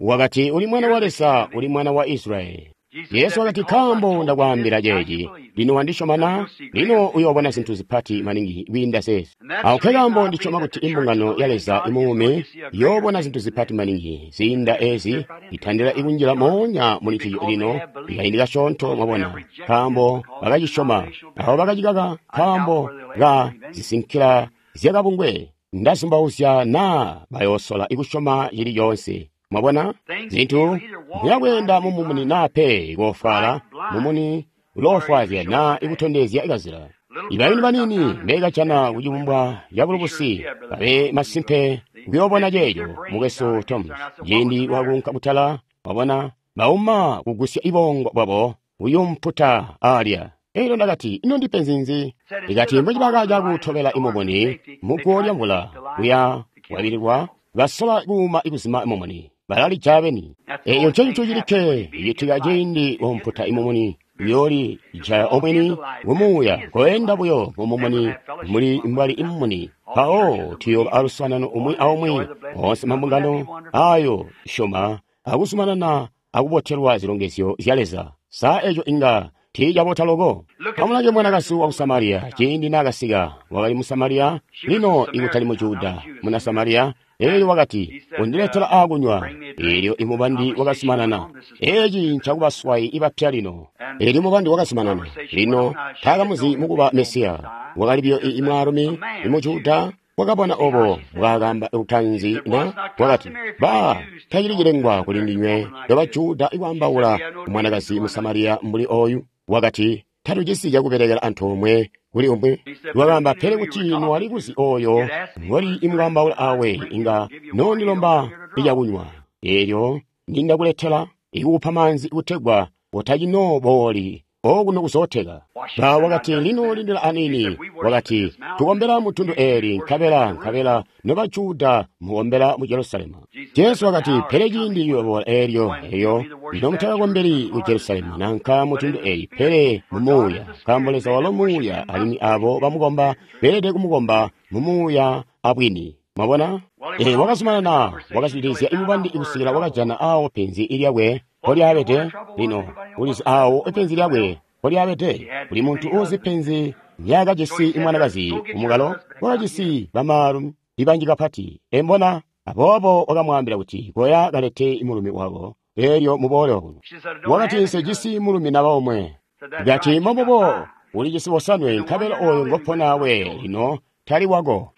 Wakati, uli mwana wa Leza, uli mwana wa Israyeli. Yesu wakati, nkaambo ndakwaambila ceeci, lino wandisyoma na? Lino uyoobona zintu zipati maningi kwiinda zeezi. Awo nkaambo ndisyoma kuti imbungano ya Leza imuumi iyoobona zintu zipati maningi ziinda ezi, itandila ikunjila moonya muli ncico lino ikaindi kasyoonto. Mwabona, nkaambo bakacisyoma, awo bakacikaka nkaambo ka zisinkila zyakabungwe. Ndazumbauzya naa bayoosola ikusyoma cili coonse. Mwabona, zintu muyakweenda mumumuni naa pe koofwaala, mumuni uloofwaazya naa ikutondezya kazila. Ibayuni baniini mbekajana kucibumbwa cabulubusi babe masimpe kuyoobona ceeco, mukwesu Tom, ciindi wakunka kutala, wabona, bauma kugusya ibongo bwabo kuyumputa alya. Elyo ndakati, ino ndipenzi nzi? Ikati mbocibaka cakutobela imumuni muguwo lya mvula kuya wabililwa, basola kuuma ikuzima imumuni balalija beni. Eyo ncenco cilikke icitika ciindi womputa imumuni uyooli jaya omweni kumuuya koenda buyo mumumuni muli mbwali imumuni. Mpawo tuyooba aluswaanano umwi aumwi oonse mambungano ayo syoma akuzumanana akubotelwa zilongezyo zya Leza. Sa eco inga tiicabota loko? Amulange mwanakazi wa ku Samariya ciindi naakasika, wakali mu Samariya, lino ikutali mu Juda, muna Samariya. Elyo wakati, undiletela aakunywa. Elyo imubandi wakazumanana. Eeci ncakubaswayi ibapya lino. Elyo mubandi wakazumanana. Lino taakamuzi mukuba Mesiya. Wakali biyo ii mwaalumi imu Juda wakabona obo mbwaakamba lutanzi na wakati, ba tacili cilengwa kuli ndinywe noba Juda ikwaambaula mwanakazi mu Samariya mbuli oyu. Wakati, tatujisi cakubelekela antoomwe kuli umwi. Wakaamba, pele kuti nwali kuzi oyo ngoli imwaambaula awe, inga nondilomba icakunywa. Elyo nindakuletela ikukupa maanzi kutegwa utacinobooli okuno kuzooteka. Ba wakati, lino lindila anini. Wakati, tukombela mutundu eli, nkabela nkabela noba Juda mukombela mu Jerusalemu. Jesu wakati, pele ciindi ciyoboola elyo eyo nomutakakombeli ku Jerusalemu nanka mutundu eli, pele mumuuya, nkaambo Leza walo muuya, alimwi abo bamukomba beelede kumukomba mumuuya abwini. Mwabona? E, wakazumanana wakazwidilizya imubandi ikusikila wakajana awo penzi lyakwe mpolyabede. Lino ulizi awo penzi lyakwe mpolyabede. Kuli muntu uuzi penzi lyakajisi imwanakazi kumukalo, wakajisi bamaalumi ibanji kapati. Embona? Aboobo wakamwaambila kuti, koya kalete mulumi wako, elyo muboole okuno. Wakati, nsejisi mulumi naba omwe. Kati, mbomubo, ulijisi bosanwe, nkabela oyo ngoponawe lino tali wako.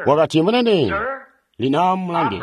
Wakati, munene, lino amulange.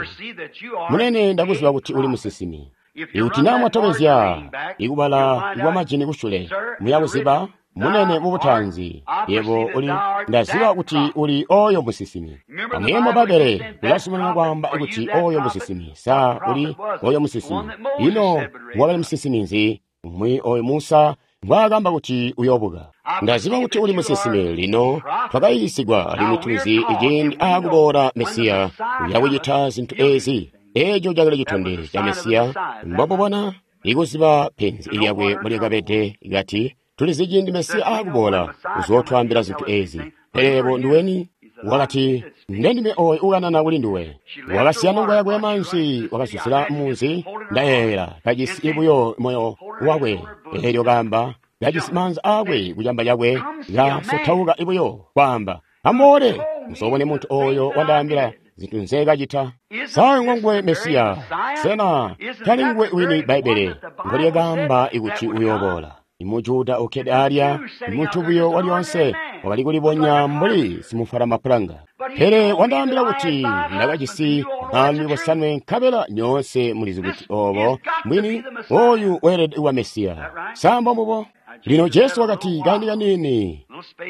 Munene, ndakuziba kuti uli musinsimi. Ikuti naa mwatobezya ikubala kwa majini kusyule, muyakuziba munene mubutanzi, yebo uli, ndaziba kuti uli oyo musinsimi. Amuye mu Babele ulazumanana kwaamba kuti oyo musinsimi. Sa uli oyo musinsimi? Ino wakali musinsimi nzi? Umwi oyo Musa mbwaakamba kuti uyoobuka. Ndaziba kuti uli musinsimi. Lino twakayiisigwa alimwi tulizi iciindi aakuboola Mesiya uyakucita zintu ezi. Eeco cakali citondezyo ca Mesiya. Mbomubona ikuziba penzi lyakwe mbolyakabede, kati tulizi ciindi Mesiya aakuboola uzootwaambila zintu ezi. Pele yebo nduweni? Wakati, ndendime oyo ukanana kuli nduwe. Wakasiya nongo yakwe yamanzi, wakazuzila munzi. Ndayeeyela kajisi buyo moyo wakwe. Elyo kaamba, kajisi maanzi aakwe kucamba cakwe, kasotauka buyo kwaamba, amuboole muzoobone muntu oyo wandaambila zintu nzeekacita. Sa ngonguwe Mesiya? Sena tali nguwe wini Bbaibbele ngolyakaamba ikuti uyooboola? Imujuda ukkede alya, muntu buyo walyoonse, wakali kulibonya mbuli simufwala mapulanga. Pele wandaambila kuti ndakajisi baalumi bosanwe, nkabela nyoonse mulizi kuti obo mbwini oyu weelede kuba Mesiya. Sa mbombubo? Lino Jesu wakati, kaindi kaniini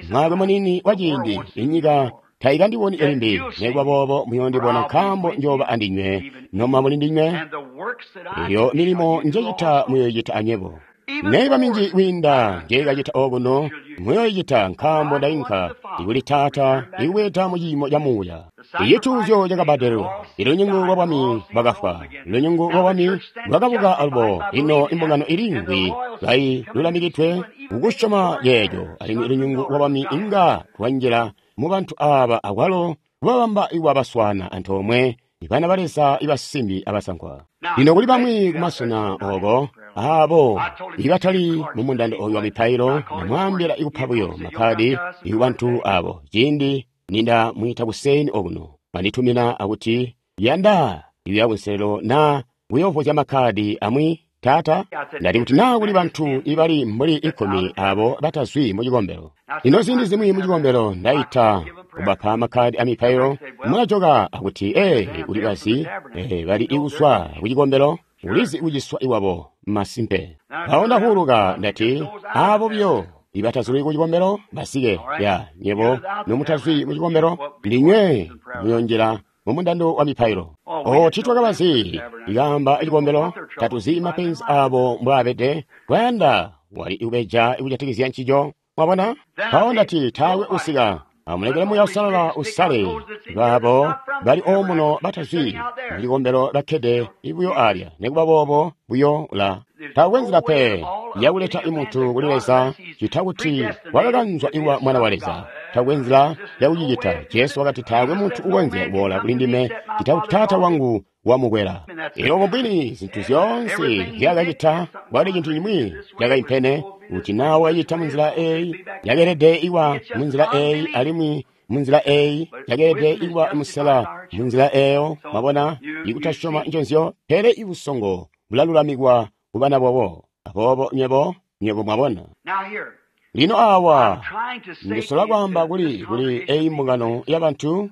Mwaakwe muniini wa ciindi inyika taikandiboni limbi, nekuba boobo muyoondibona, nkaambo njooba andinywe, noma muli ndinywe. Eyo milimo njecita muyoyicita anywebo. Neiba minji kwiinda njeikacita okuno muyoyicita, nkaambo ndainka ikuli Taata ikubweeda mu ciimo ca Muuya. Icituuzyo cakabbadelelwa, ilunyungu lwa bwami bwakafwa, lunyungu lwa bwami lwakabuka alubo. Ino imbungano iliimvwi kailulamikidwe kukusyoma ceeco, alimwi lunyungu lwa bwami inga lwanjila mu bantu aaba akwalo kubabamba iwabaswana antoomwe bana ba Leza ibasimbi abasankwa. Lino kuli bamwi kumasena oko aabo ibatali mu mundando oyu wa mipailo, namwaambila ikupa buyo makkadi ikubantu abo. Ciindi ninda mwiita kuseni okuno, banditumina akuti yanda ikuya kunselelo na kuyoovozya makkadi amwi. Taata, ndati kuti naa kuli bantu ibali mbuli ikumi abo batazwi mu cikombelo. Lino ziindi zimwi mu cikombelo ndaita kubapa makkadi a mipailo, mulajoka akuti ee uli bazi ee bali ikuswa ku cikombelo, ulizi kuciswa iwabo masimpe. Mpawo ndahuuluka ndati aabo buyo ibatazwi ku cikombelo basike ya nyebo nomutazwi mu cikombelo ndinywe muyonjela mu mundando wa mipailo. O titwakabazi ikaamba icikombelo, tatuzi mapenzi abo mbwaabede, kwayanda wali ikubeja ikujatikizya ncico. Mwabona? Mpawo ndati taakwe usika, amulekele Muuya Uusalala usale baabo bali omuno batazwi mu cikombelo bakkede buyo alya, nekuba boobo buyo ula. Taakwe nzila pe yakuleta imuntu kuli Leza cita kuti wakakanzwa iwa Mwana wa Leza. Taakwe nzila yakucicita. Jesu wakati taakwe muntu ukonzya kuboola kuli ndime cita kuti Taata wangu wamukwela. Elyo mubwini zintu zyoonse zyakacita kwali cintu cimwi cakaimpene, kuti naa wakacita munzila eyi yakeelede iwa munzila eyi, alimwi munzila eyi yakeelede iwa musela munzila eyo. Mwabona, ikutasyoma nconzyo, pele ibusongo bulalulamikwa kubana bobo. Aboobo nywebo nywebo mwabona. Lino awa ndisola kwaamba kuli kuli eyi mbungano ya bantu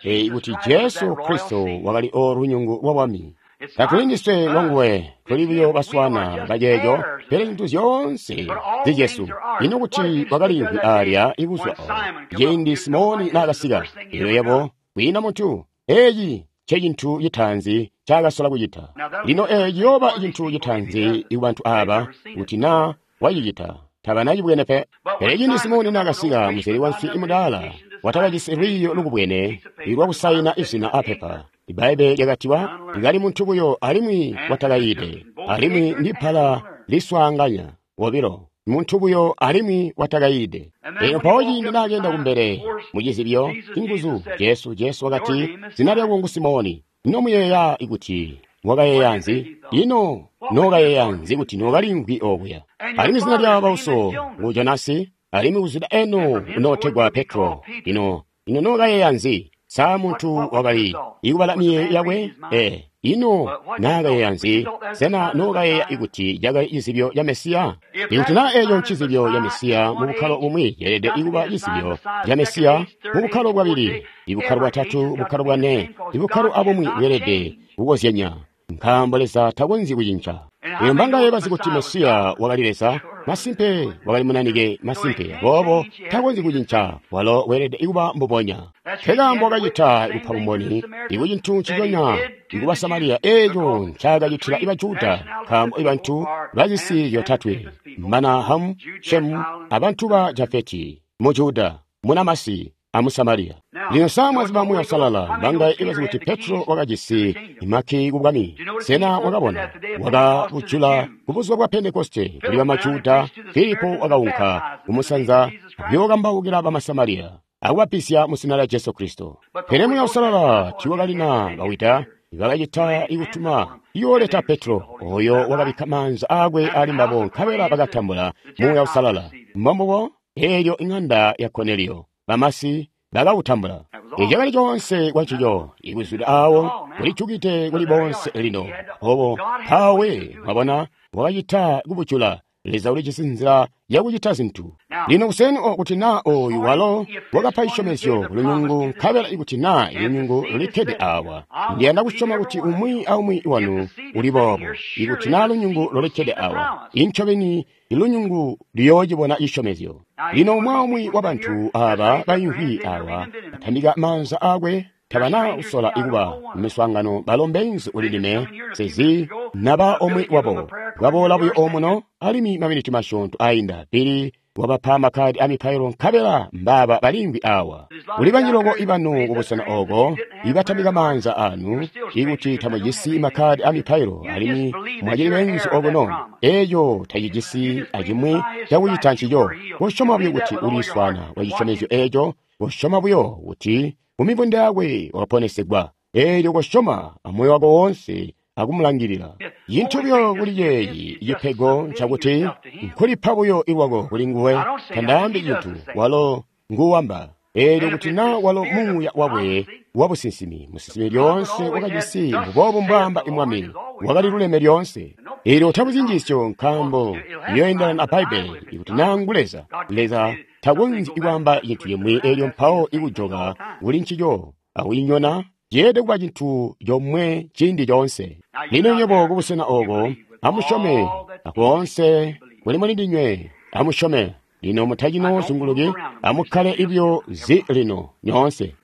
eyi kuti Jesu Kristo wakali o lunyungu lwa bwami. Tatuli ndiswe lwanguwe, tuli buyo baswana baceeco, pele zintu zyoonse zicesu. Ino kuti wakaliimvwi alya ibuzwa o ciindi Simoni naakasika, elyo yebo kwiina muntu. Eeci ncecintu citaanzi ncaakasola kucita. Lino eeci ciyooba cintu citaanzi kubantu aaba kuti naa wacicita tabanacibwene pe. Pele ciindi Simoni naakasika, muzeli wanswi imudaala watakajisi lwiiyo lukubwene lwakusayina izina apepa. Ibbaibbele lyakatiwa likali muntu buyo alimwi watakayiide, alimwi ndibbala liswaanganya wobilo, muntu buyo alimwi watakayiide. Elyo mpawo ciindi naakenda kumbele mucizibyo inguzu Jesu, Jesu wakati, zina lyako ngu Simoni. Ino muyeeya kuti wakayeeya nzi? Ino nookayeeya nzi kuti nookalimvwi okuya? Alimwi zina lya bauso ngu Jonasi, alimwi kuzwida eno unootegwa Petro. Ino ino nookayeeya nzi? Sa muntu wakali ikubala miyeeyo yakwe? Ee, ino naakayeeya nzi? Sena nookayeeya ikuti cakali cizibyo ca Mesiya? Ikuti naa eeco ncizibyo ca Mesiya mu bukkalo bumwi, ceelede ikuba cizibyo ca Mesiya mu bukkalo bwabili, ibukkalo bwatatu, bukkalo bwane, ibukkalo abumwi bweelede kukozyanya, nkaambo Leza takonzyi kucinca. Lino mbangaye bazi kuti Mesiya wakali Leza? Masimpe wakali munanike, masimpe. Aboobo takonzyi kucinca, walo weelede kuba mbubonya. Nkekaambo wakacita kupa bumboni ikucintu nciconya ikuba Samariya eeco ncaakacitila iba Juda, nkaambo ibantu bazisi zyotatwe mana Hamu, Shemu abantu ba Jafeti mu Juda, munamasi amu Samariya. Lino sa mwaziba Muuya Uusalala, mbangaye ibazi kuti Petro wakajisi maki kubwami? Sena wakabona wakabujula kubuzuba bwa Pentekoste kuli bamajuda? Filipo wakaunka kumusanza kuyookambaukila bamasamariya akubapisya mu zina lya Jesu Kristo. Pele Muuya Uusalala tiiwakalina bawida, bakacita ikutuma iyooleta Petro, oyo wakabikka maanza aakwe ali mbabo, nkabela bakatambula Muuya Uusalala. Mbombubo eelyo iŋanda ya Koneliyo bamasi bakawutambula. Eeci cakali coonse kwancico, ikuzwida aawo kulijukide kuli boonse lino. Obo mpawe mwabona wakacita kubujula Leza ulijisi nzila yakucita zintu. Lino kuseni o kuti naa oyu walo wakapa cisyomezyo kulunyungu, nkabela ikuti naa ilunyungu lulikkede awa, ndiyanda kusyoma kuti umwi aumwi wanu uli boobo. Ikuti naa lunyungu lulikkede awa, incobeni ilunyungu luyoocibona cisyomezyo. Lino umwi aumwi wa bantu aba baimvwi awa atambika maanza akwe, tabana kusola ikuba miswaangano balombenzi ulilime sezi naba omwe wabo baboola buyo omuno alimwi maminiti masyoonto ainda pili wabapa makhadi a mipailo nkabela mbaba balimvwi awa. Kuli banjiloko ibanu kubusena oko ibatambika maanza anu ikuti tamujisi makhadi a mipailo alimwi mwacili benzi okuno, eeco tacijisi acimwi cakucita ncico. Kusyoma buyo kuti uliswana kwa cisyomezyo eeco, kusyoma buyo kuti mumibunda yakwe waponesegwa, eelyo kusyoma amoyo wako wonse akumulangilila. Cintu buyo kuli ceeci cipego ncakuti nkulipa buyo ilwako kuli nguwe. Tandaambi cintu, walo nguwamba. Eelyo kuti naa walo muuya wakwe wabusinsimi, musinsimi lyoonse wakajisi mbuboobu mbwaamba Mwami, wakali luleme lyoonse. Eelyo tabuzyi njiisyo nkaambo iyoendelana a Bbaibbele. Ikuti naa ngu Leza, Leza takonzyi kwaamba cintu cimwi eelyo mpawo ikujoka kuli ncico akuyinyona, ceelede kuba cintu comwe ciindi coonse. Lino nywebo kubusena oko amusyome akoonse kuli muli ndinywe, amusyome. Lino mutacino zunguluki, amukkale ibyo zi lino nyoonse.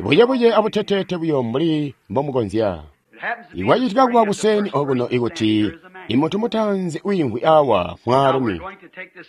Buyebuye abuteteete buyo mbuli mbomukonzya. Ikwacitika kuba kuseni okuno ikuti imuntu mutaanzi wiimvwi awa mwaalumi.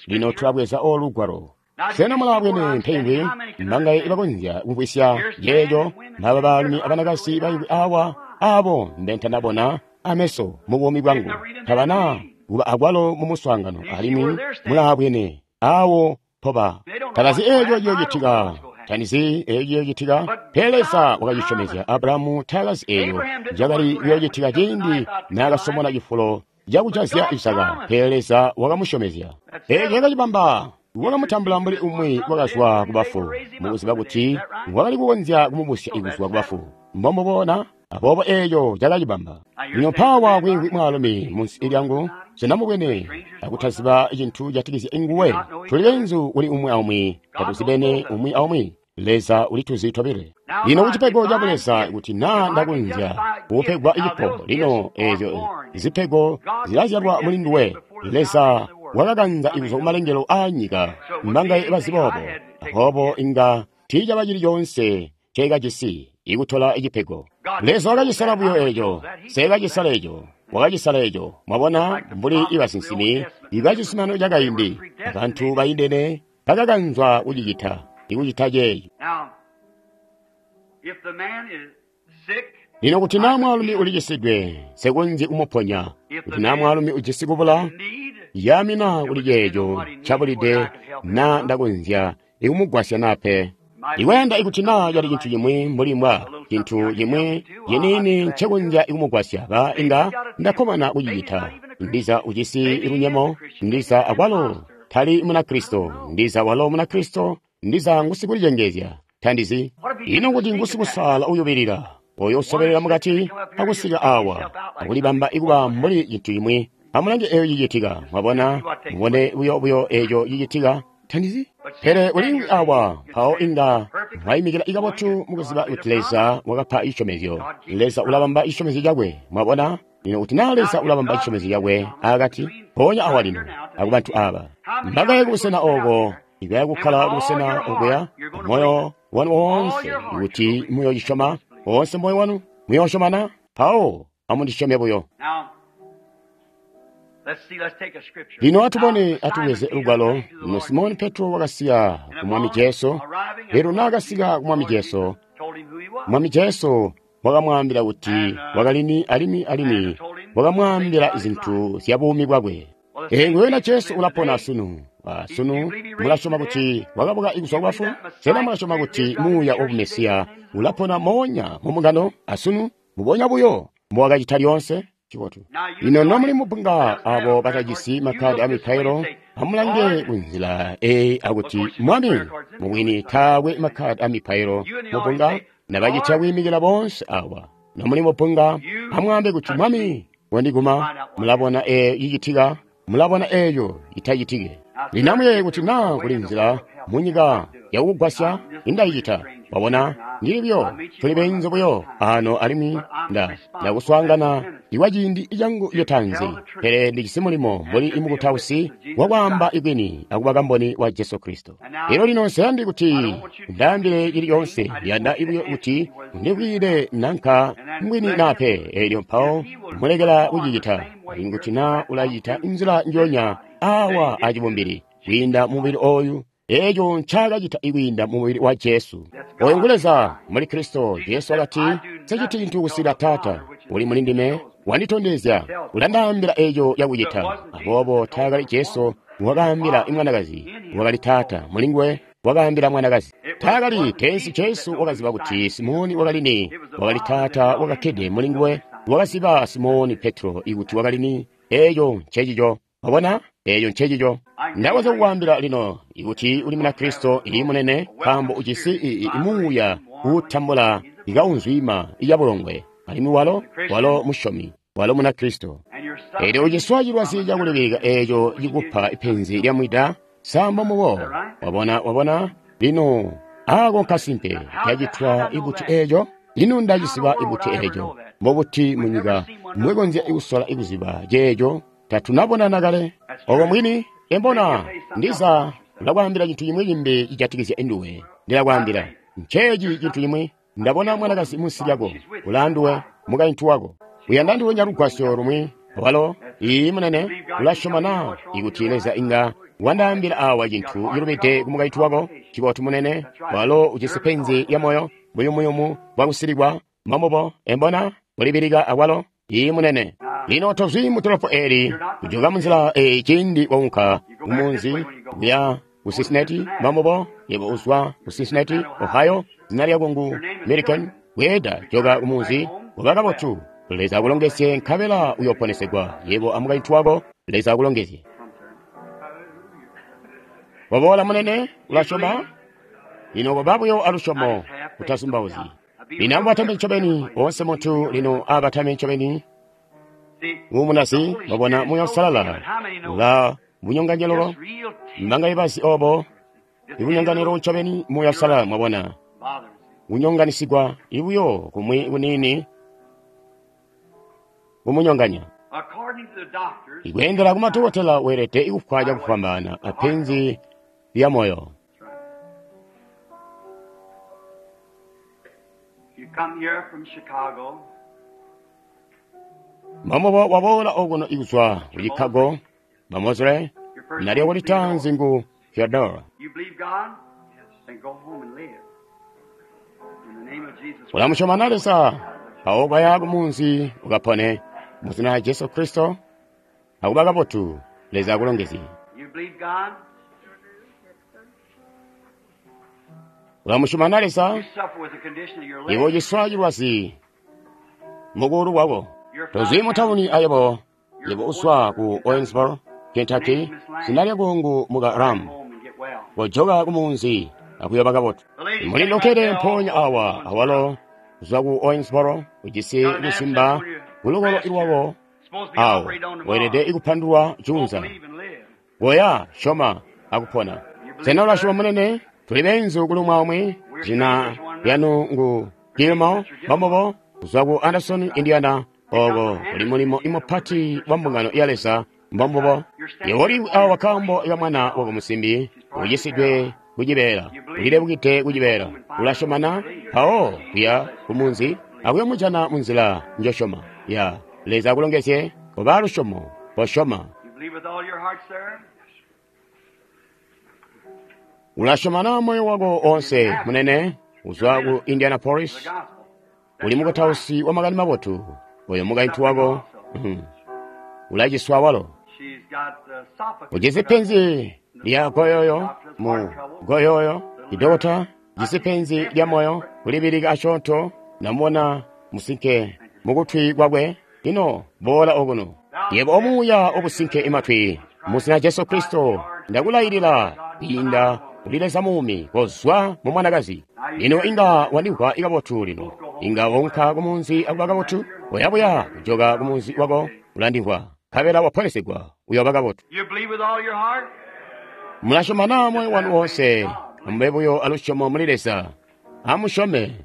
Lino tulabweza olugwalo. Sena mulaabwene mpemvi mbangaye ibakonzya kumvwisya yeeyo mbaba baalumi abanakazi baimvwi awa abo mbentanabona ameso mu buumi bwangu tabana kuba akwalo mu muswaangano alimwi mulaabwene awo poba tabazi eeco ciyoocitika, tanizi eeco ciyoocitika. Pele Leza wakacisyomezya Abrahamu, taakazi eeyo cakali kuyoocitika ciindi naakasomona cifulo cakujazya Isaka, pele Leza wakamusyomezya. Eeco cakacibamba wakamutambula mbuli umwi wakazwa kubafu, mukuziba kuti wakali kukonzya kumubusya ikuzwa kubafu. Mbomubona? Aboobo eeco cakacibamba. Lino mpaawa kwiimvwi mwaalumi munsi lyangu, sinamubwene akutaziba cintu catikizya nguwe. Tuli beenzu kuli umwi aumwi, tatuzibene umwi aumwi. Leza ulituzi tobile. Lino kucipego ca Buleza kuti naa ndakonzya kupegwa cipo, lino eezyo zipego zilazyalwa muli nduwe. Leza wakakanza ikuzwa kumalengelo aa nyika mbangaye bazi boobo. Aboobo inga tiicaba cili coonse nceekajisi ikutola icipego. Leza wakacisala buyo eeco, seekacisala eeco, wakacisala eeco. Mwabona, mbuli ibasinsimi ibacizuminano cakaindi, abantu baindene bakakanzwa kucicita, ikucita ceeci. Lino kuti naa mwaalumi ulicisidwe, nsikonzyi kumuponya. Kuti naa mwaalumi ujisi kubula, yamina kuli ceeco ncabulide, naa ndakonzya ikumugwasya naa pe. Ikwenda ikuti naa cali cintu cimwi mbuli mbwa cintu cimwi ciniini ncekonzya ikumugwasya, ba inga ndakkomana kucicita. Ndiza ujisi lunyemo, ndiza akwalo tali Munakristo, ndiza walo Munakristo, ndiza ngusikulicengezya, tandizi. Ino kuti ngusikusaala uyubilila, oyo usobelela mukati akusika awa akulibamba ikuba mbuli cintu cimwi. Amulange eeyo cicitika, mwabona, mubone buyo buyo eeco cicitika, tandizi. Pele ulimwi awa mpawo inga mwayimikila ikabotu mukuziba kuti Leza wakapa cisyomezyo. Leza ulabamba cisyomezyo cakwe, mwabona. Lino kuti naa Leza ulabamba cisyomezyo cakwe akati, mpoonya awa lino akubantu aba mbakaye kubusena oko, ikaya kukkala kubusena okuya moyo wanu woonse, kuti muyoocisyoma woonse moyo wanu, muyoosyomana, mpawo amundisyome buyo. Lino atubone, atubweze lugwalo. Lino Simoni Petro wakasika ku Mwami Jesu. Lino naakasika ku Mwami Jesu, Mwami Jesu wakamwaambila kuti wakalini alimwi alimwi wakamwaambila zintu zya buumi bwakwe. Ee, nguwena Jesu ulapona sunu. Sunu mulasyoma kuti wakabuka kuzwa kubafu? Sena mulasyoma kuti muuya wa Mesiya ulapona moonya mumungano asunu mubonya buyo mbowakacita lyoonse? Cibotu. Lino nomuli mubunga abo batajisi makhadi a mipailo, amulange kunzila eyi akuti Mwami, mubwini taakwe makhadi a mipailo mubunga, nabacitya kwiimikila boonse awa. Nomuli mubunga, amwaambe kuti Mwami wandiguma. Mulabona eeyo cicitika, Mulabona eeco itacitike. Lino amuyeeye kuti naa kuli nzila munyika yakukugwasya, indacicita. Wabona, ndili buyo, tuli beenzu buyo ano alimwi nda ndakuswaangana ikwa ciindi cangu citaanzi, pele ndijisi mulimo mbuli imukutausi wakwaamba ibwini akuba kamboni wa Jesu Kristo. Elyo lino nseyandi kuti ndaambile cili coonse, ndiyanda buyo kuti ndikwiile nanka mbwini naa pe. Elyo mpawo mulekela kucicita, alimwi kuti naa ulacita inzila njoonya awa acibumbili kwiinda mubili oyu, eeco ncaakacita ikwiinda mumubili wa Jesu. Oyu ngu Leza muli Kristo. Jesu wakati, nseciti cintu kusika Taata uli muli ndime wanditondezya, ulandaambila eeco cakucita. Aboobo taakali Jesu wakaambila mwanakazi, wakali Taata mulinguwe wakaambila mwanakazi. Taakali teensi Jesu wakaziba kuti Simoni wakali ni, wakali Taata wakakkede mulinguwe wakaziba Simoni Petro ikuti wakali ni. Eeco ncecico. Wabona? Eeco ncecico. Ndakonzya kukwaambila lino ikuti uli muna Kristo ii munene, nkaambo ujisi imuuya uutambula ikaunzwima iyabulongwe, alimwi walo walo musyomi, walo muna Kristo. Elyo uciswa cilwazi cakulibilika eeco cikupa penzi lya mwida, samba mubo. Wabona, wabona? Lino ako nkasimpe. Cacitwa ibuti eeco? Ino ndacisiba ibuti eeco? Mbobuti munyika mwekonzya ikusola ikuziba ceeco? Tatunabonana kale. Oko mwini embona ndiza ndakwaambila cintu cimwi cimbi cijatikizya nduwe. Ndilakwaambila nceeci cintu cimwi. Ndabona mwanakazi munsi lyako, ulaanduwe, mukaintu wako. Uyanda nduwenya lugwasyo lumwi. Walo ii munene, ulasyoma na ikuti Leza inga wandaambila awa cintu cilubide ku mukaintu wako? Cibotu munene, walo ujisi penzi lya moyo, buyumuyumu bwakusilikwa. Mamubo embona ulibilika awalo. Ii munene. Lino tozwi mu dolopo eli, kujoka munzila eyi ciindi waunka kumunzi kuya ku Cincinnati. Mamubo, yebo uzwa ku Cincinnati, Ohio. Zina lyako ngu American. Bweeda joka kumunzi, uba kabotu. Leza akulongezye, nkabela uyoponesegwa, yebo amukaintu wako. Leza akulongezye. Waboola munene, ulasyoma? Lino koba buyo alusyomo, utazumbauzyi. Lino amubatame ncobeni, oonse muntu lino abatame ncobeni. Umunazi, wabona Muuya Uusalala ula bunyonganyelo, mbanga ibazi obo, ibunyonganelo ncobeni Muuya Uusalala, mwabona. Unyonganisigwa ibuyo kumwi kunini kumunyonganya. Ikweendela kumadokotela weelede ikufwa cakufwambaana apenzi lya moyo. Mamubo waboola okuno ikuzwa ku Chicago, Bamosle, nalyo kulitanzi ngu Theodora. Ulamusyoma na Leza, mpawo baya kumunzi ukapone mu zina lya Jesu Kristo, akuba kabotu. Leza akulongezye. Ulamusyoma na Leza, iwe uciswa cilwazi mukuulu kwako. Tozwi mu tawuni ayebo, yebo uswa ku Owensboro, Kentucky. Zina lyako ngu muka Ram. Kojoka kumunzi akuyoba kabotu. Mulindokele mpoonya awa awalo kuzwa ku Owensboro, ujisi kusimba kulukolo lwako awo, weelede ikupandulwa juunza. Goya syoma akupona. Sena ulasyoma munene? Tuli beenzu kuli umwi aumwi. Zina lyanu ngu Gilmore, mamubo, kuzwa ku Anderson, Indiana. Oko kuli mulimo imupati wa mbungano ya Leza. Mbombubo. Yebo uli awa kaambo ka mwana wako musimbi ucisidwe kucibeela, ulilebukide kucibeela. Ulasyomana mpawo kuya kumunzi akuyomujana munzila njosyoma. Ya Leza akulongezye. Koba lusyomo, kosyoma. Ulasyoma moyo wako onse munene. Uzwa ku Indianapolis, uli mukutausi wa makani mabotu. Oyo mukaintu wako ulaciswa walo. Ujisi penzi lya goyoyo mu goyoyo. Idokota jisi penzi lya moyo, kulibilika asyoonto. Namubona musinke mukutwi kwakwe. Lino boola okuno, yebo omuuya obusinke imatwi. Mu zina Jesu Kristo ndakulailila kwiinda kuli Leza muumi, kozwa mu mwanakazi. Lino inga wandimvwa kabotu lino. Inga waunka kumunzi akuba kabotu. Oyabuya kujoka kumunzi wako, ulandimvwa. Nkabela waponesegwa, uyooba kabotu. You believe with all your heart? Mulasyoma na moyo wanu woonse, amube buyo alusyomo muli Leza. Amusyome.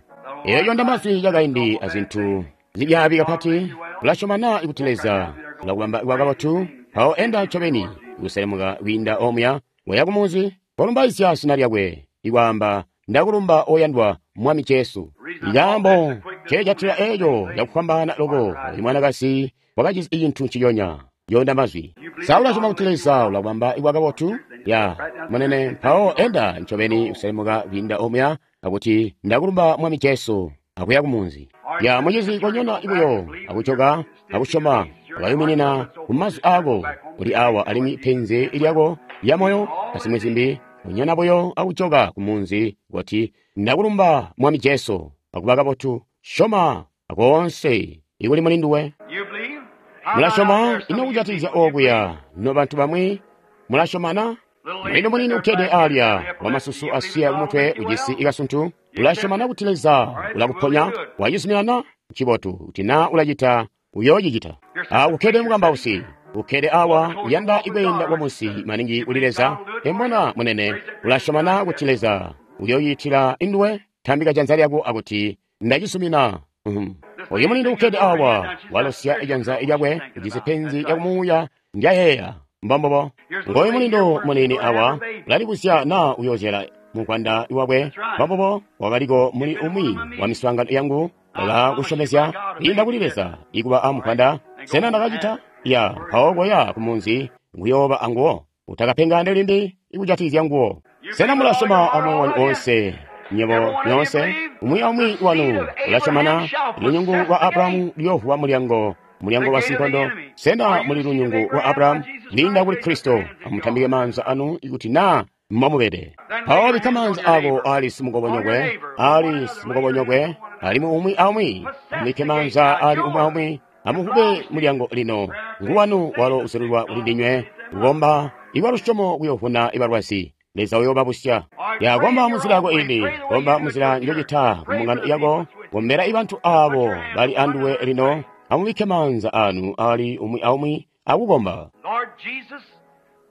Eeyo ndamazwi yakaindi azintu zibyaabi kapati. Ulasyoma na kuti Leza ulakubamba kuba kabotu? Mpawo enda ncobeni kuselemuka kwiinda omuya, waya kumuzi, kolumbaizya zina lyakwe, ikwaamba, ndakulumba oyandwa Mwami Jesu. Ikaambo nceejatila eeco cakufwambaana loko, oyu mwanakazi wakajisi cintu nciconya. Yonda mazwi. Sa ulasyoma kuti Leza ulakubamba kuba kabotu? Ya, munene, mpawo enda ncobeni kuselemuka kwiinda omuya, akuti ndakulumba Mwami Jesu, akuya kumunzi. Ya, mucizi konyona buyo, akujoka, akusyoma, akayuminina kumazwi aako, uli awa alimwi penzi lyako lya moyo, asimwi zimbi, konyona buyo akujoka kumunzi, kuti ndakulumba Mwami Jesu, akuba kabotu, syoma akoonse ikuli muli nduwe. You believe? How about out Mulasyoma there, some ino of you kujatikizya people, you okuya, no bantu bamwi, mulasyoma na? Mulino munini ukkede alya, wamasusu asiya kumutwe ujisi ikasuntu, ulasyoma na kuti Leza ulakuponya, wacizumina na? Ncibotu, kuti na ulacita, uyoocicita. Ah, ukkede mukambausi, ukkede awa, uyanda ikweenda kwamunsi maningi kuli Leza, embona munene, ulasyoma na kuti Leza uyoocitila induwe? Tambika janza lyako akuti, ndacizumina. Mhm. Oyu mulindi ukkede awa, walosya ijanza lyakwe, ujisi penzi lyakumuuya, ndyayeeya. Mbombobo. Ngoyu mulindo munini awa, ulalibuzya na uyozyala mukwanda wakwe. Mbombobo, wakaliko muli umwi wa miswaangano yangu, wakakusyomezya kwiinda kuli Leza ikuba amukwanda. Sena ndakacita? Ya, mpawo koya kumunzi kuyooba anguwo. Utakapengane limbi ikujatikizya nguwo. Sena mulasyoma amoyo wanu oonse? Nyebo nyoonse, umwi aumwi wanu ulasyomana, lunyungu lwa Abrahamu luyoovuwa mulyango, mulyango wa sinkondo. Sena muli lunyungu lwa Abrahamu? Linda kuli Kristo, amutambike maanza anu ikuti na momubede. Mpawo bikka maanza ako ali simukobonyokwe, ali simukobonyokwe, alimwi umwi aumwi, amubikke maanza ali umwi aumwi, amuvube mulyango lino. Nguwanu walo usululwa kuli ndinywe, kukomba ikwa lusyomo kuyovuna ibalwazi. Leza uyoobabusya. Ya, komba munzila yako ini, komba munzila njocita kumbungano yako, kombela ibantu abo bali anduwe lino, amubikke maanza anu ali umwi aumwi akukomba. Lord Jesus,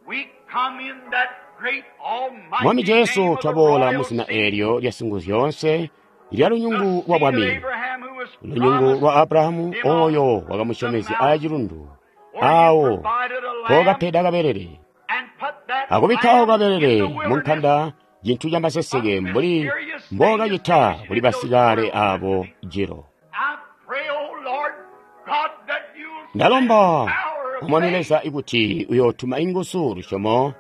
we come in that great almighty Mwami Jesu, name of the twaboola royal muzina seed, eelyo lya singuzyonse lya lunyungu lwa the seed of bwami, Abraham who was lunyungu promised lwa Abrahamu him on oyo the wakamusyomezya mount aacilundu, where you awo provided a lamb pokapeda kabelele, and put that akubikkawo lamb in kabelele the mu wilderness, nkanda, cintu camaseseke a mbuli mysterious thing mbokacita as kuli in those basikale wilderness. abo jilo. I pray, O Lord God, that you'll send Ndalomba power of Mwami faith. Leza ikuti uyootuma inguzu lusyomo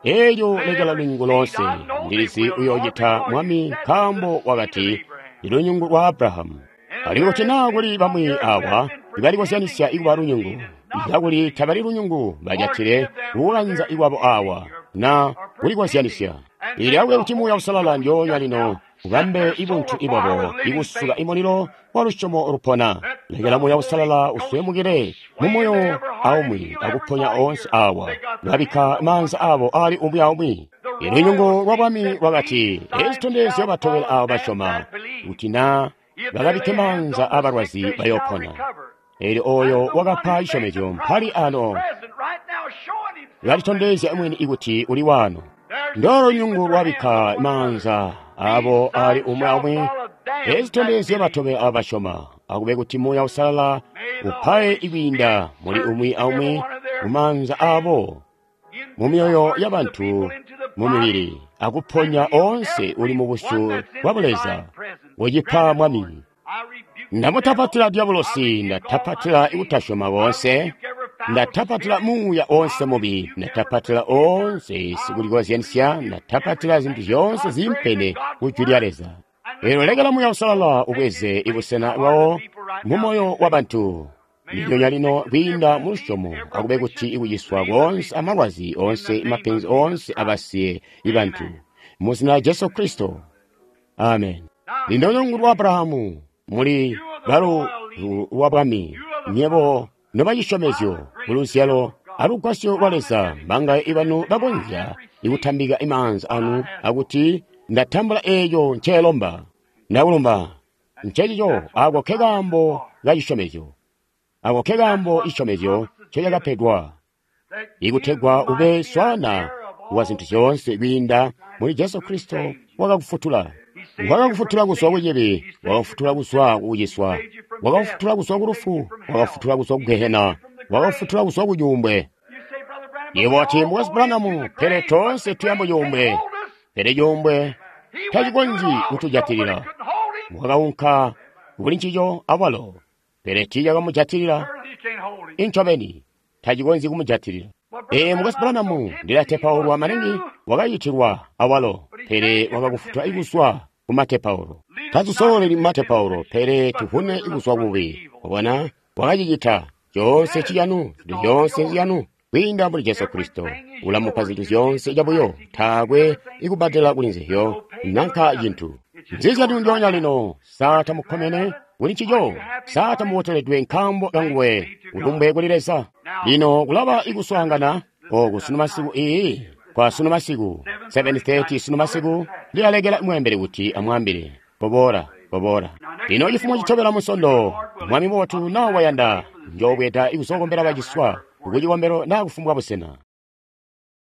eelyo Let lekela every lunyungu seed, lonse I know they ndilizi will, Lord, uyoocita because you Mwami said the nkaambo seed of wakati Abraham. ndi lunyungu lwa Abrahamu. And Alimwi there kuti has naa been kuli some bamwi here who awa has been pretending ibalikozyanisya to be ikuba the seed lunyungu, is not the kakuli seed, tabali lunyungu or bajatile give them kukukanza their ikwabo awa or, na or pretending, kulikozyanisya. and Ili may akube the kuti Muuya Holy Uusalala Ghost ndyoonya just lino now set ubambe their soul ibuntu afire ibwabo with living ikusuka faith. imulilo wa lusyomo lupona. Let Lekela the Muuya Holy Uusalala Ghost uswemukile mu sway into moyo every heart and aumwi heal every akuponya body oonse here. awa. They got their Babikka hands on one maanza abo ali umwi aumwi. The Ilunyungu royal lwa seed bwami said, lwakati, These signs ezitondezyo shall batobela follow abo them basyoma, that believe. kuti na If they bakabikke lay hands maanza on the sick, abalwazi they shall bayopona. recover. Eelyo oyo And the one wakapa who made the cisyomezyo mpali promise is ano present right now, showing himself that lalitondezya he's mwini here. ikuti uli wano. There's the Ndolo seed with lunyungu their hands lwabikka on one another. maanza These abo ali signs umwi shall aumwi, follow them that ezitondezyo believe. batobela abo basyoma. Akube kuti Muuya Uusalala May the upaye Holy ikwiinda Spirit muli search umwi every aumwi one of their mu maanza abo, into mu the myoyo hearts of the y'abantu, people, into the mu body, mibiri, akuponya and heal onse uli every mu one busyu that's in bwa divine Buleza. presence. Wocipa Grant it, Lord. Mwami. I rebuke the devil. Ndamutapatila I diabolosi, rebuke all ndatapatila unbelief. ikutasyoma I konse, rebuke every foul ndatapatila spirit. muuya onse I mubi, rebuke every ndatapatila pretender. onse I sikulikozyanisya, rebuke ndatapatila zinthu everything zyonse contrary to zimpene God's ku jwi lya word. Leza. And let Lero the lekela Holy Muuya Uusalala Ghost take ubweze his place in ibusena the heart of bwawo the people right mu now moyo through wa faith. bantu. May Ndilyonya every lino sickness, kwiinda every mu disease, lusyomo, every akube kuti affliction ikuciswa leave the konse, people amalwazi in the onse, name of mapenzi Jesus onse Christ. abasiye ibantu. Amen. Mu zina la Jesu Kristo. Amen. Now, Lino lunyungu lwa Abrahamu muli you are the balu royal lineage. lwa bwami, You are the nyebo promise nobacisyomezyo by the ku grace luzyalo of God. alugwasyo lwa How many Leza of you mbanga can ibanu say, I bakonzya have received ikutambika imaanza what I anu asked for? akuti ndatambula eeco nceelomba ndakulumba. Ncencico That's what ako the ke promises kaambo are. ka cisyomezyo, ako ke That's kaambo what the cisyomezyo promises ncocakapedwa ikutegwa ube swaana wa zintu zyoonse kwiinda muli Jesu Kristo wakakufutula. Wakakufutula kuzwa kucibi, wakakufutula kuzwa kukuciswa, wakakufutula kuzwa kulufu, wakakufutula kuzwa kugehena, wakakufutula kuzwa kucuumbwe. Yebo wati, Mukwesu Branham, pele toonse tuya mucuumbwe. Pele cuumbwe tacikonzyi kutujatilila. Wakaunka kuli ncico awalo, pele tiicakamujatilila. Incobeni tacikonzyi kumujatilila. Ee, Mukwesu Branham, ndilatepaulwa maningi, wakayitilwa awalo, pele wakakufutula kuzwa kumatepaulo. Tatusololeli mumatepaulo, pele tuvune kuzwa kububi. Wabona, wakacicita coonse ciyanu, zintu zyoonse ziyanu kwiinda muli Jesu Kristo. Ulamupa zintu zyoonse cabuyo, taakwe ikubbadela kuli nzizyo nanka cintu. Nzizyanu ndyoonya lino, sa tamukkomene kuli ncico? Sa tamuboteledwe nkaambo kanguwe? Ulumbwe kuli Leza. Lino kulaba ikuswaangana oku sunu masiku iyi kwa sunu masiku seven thirty sunu masiku ndilalekela mweembeli kuti amwambile koboola koboola. Lino cifumo citobela Munsondo, Mwami mubotu na wayanda, njoobweda ikuzokombela baciswa kucikombelo na kufumbwa busena.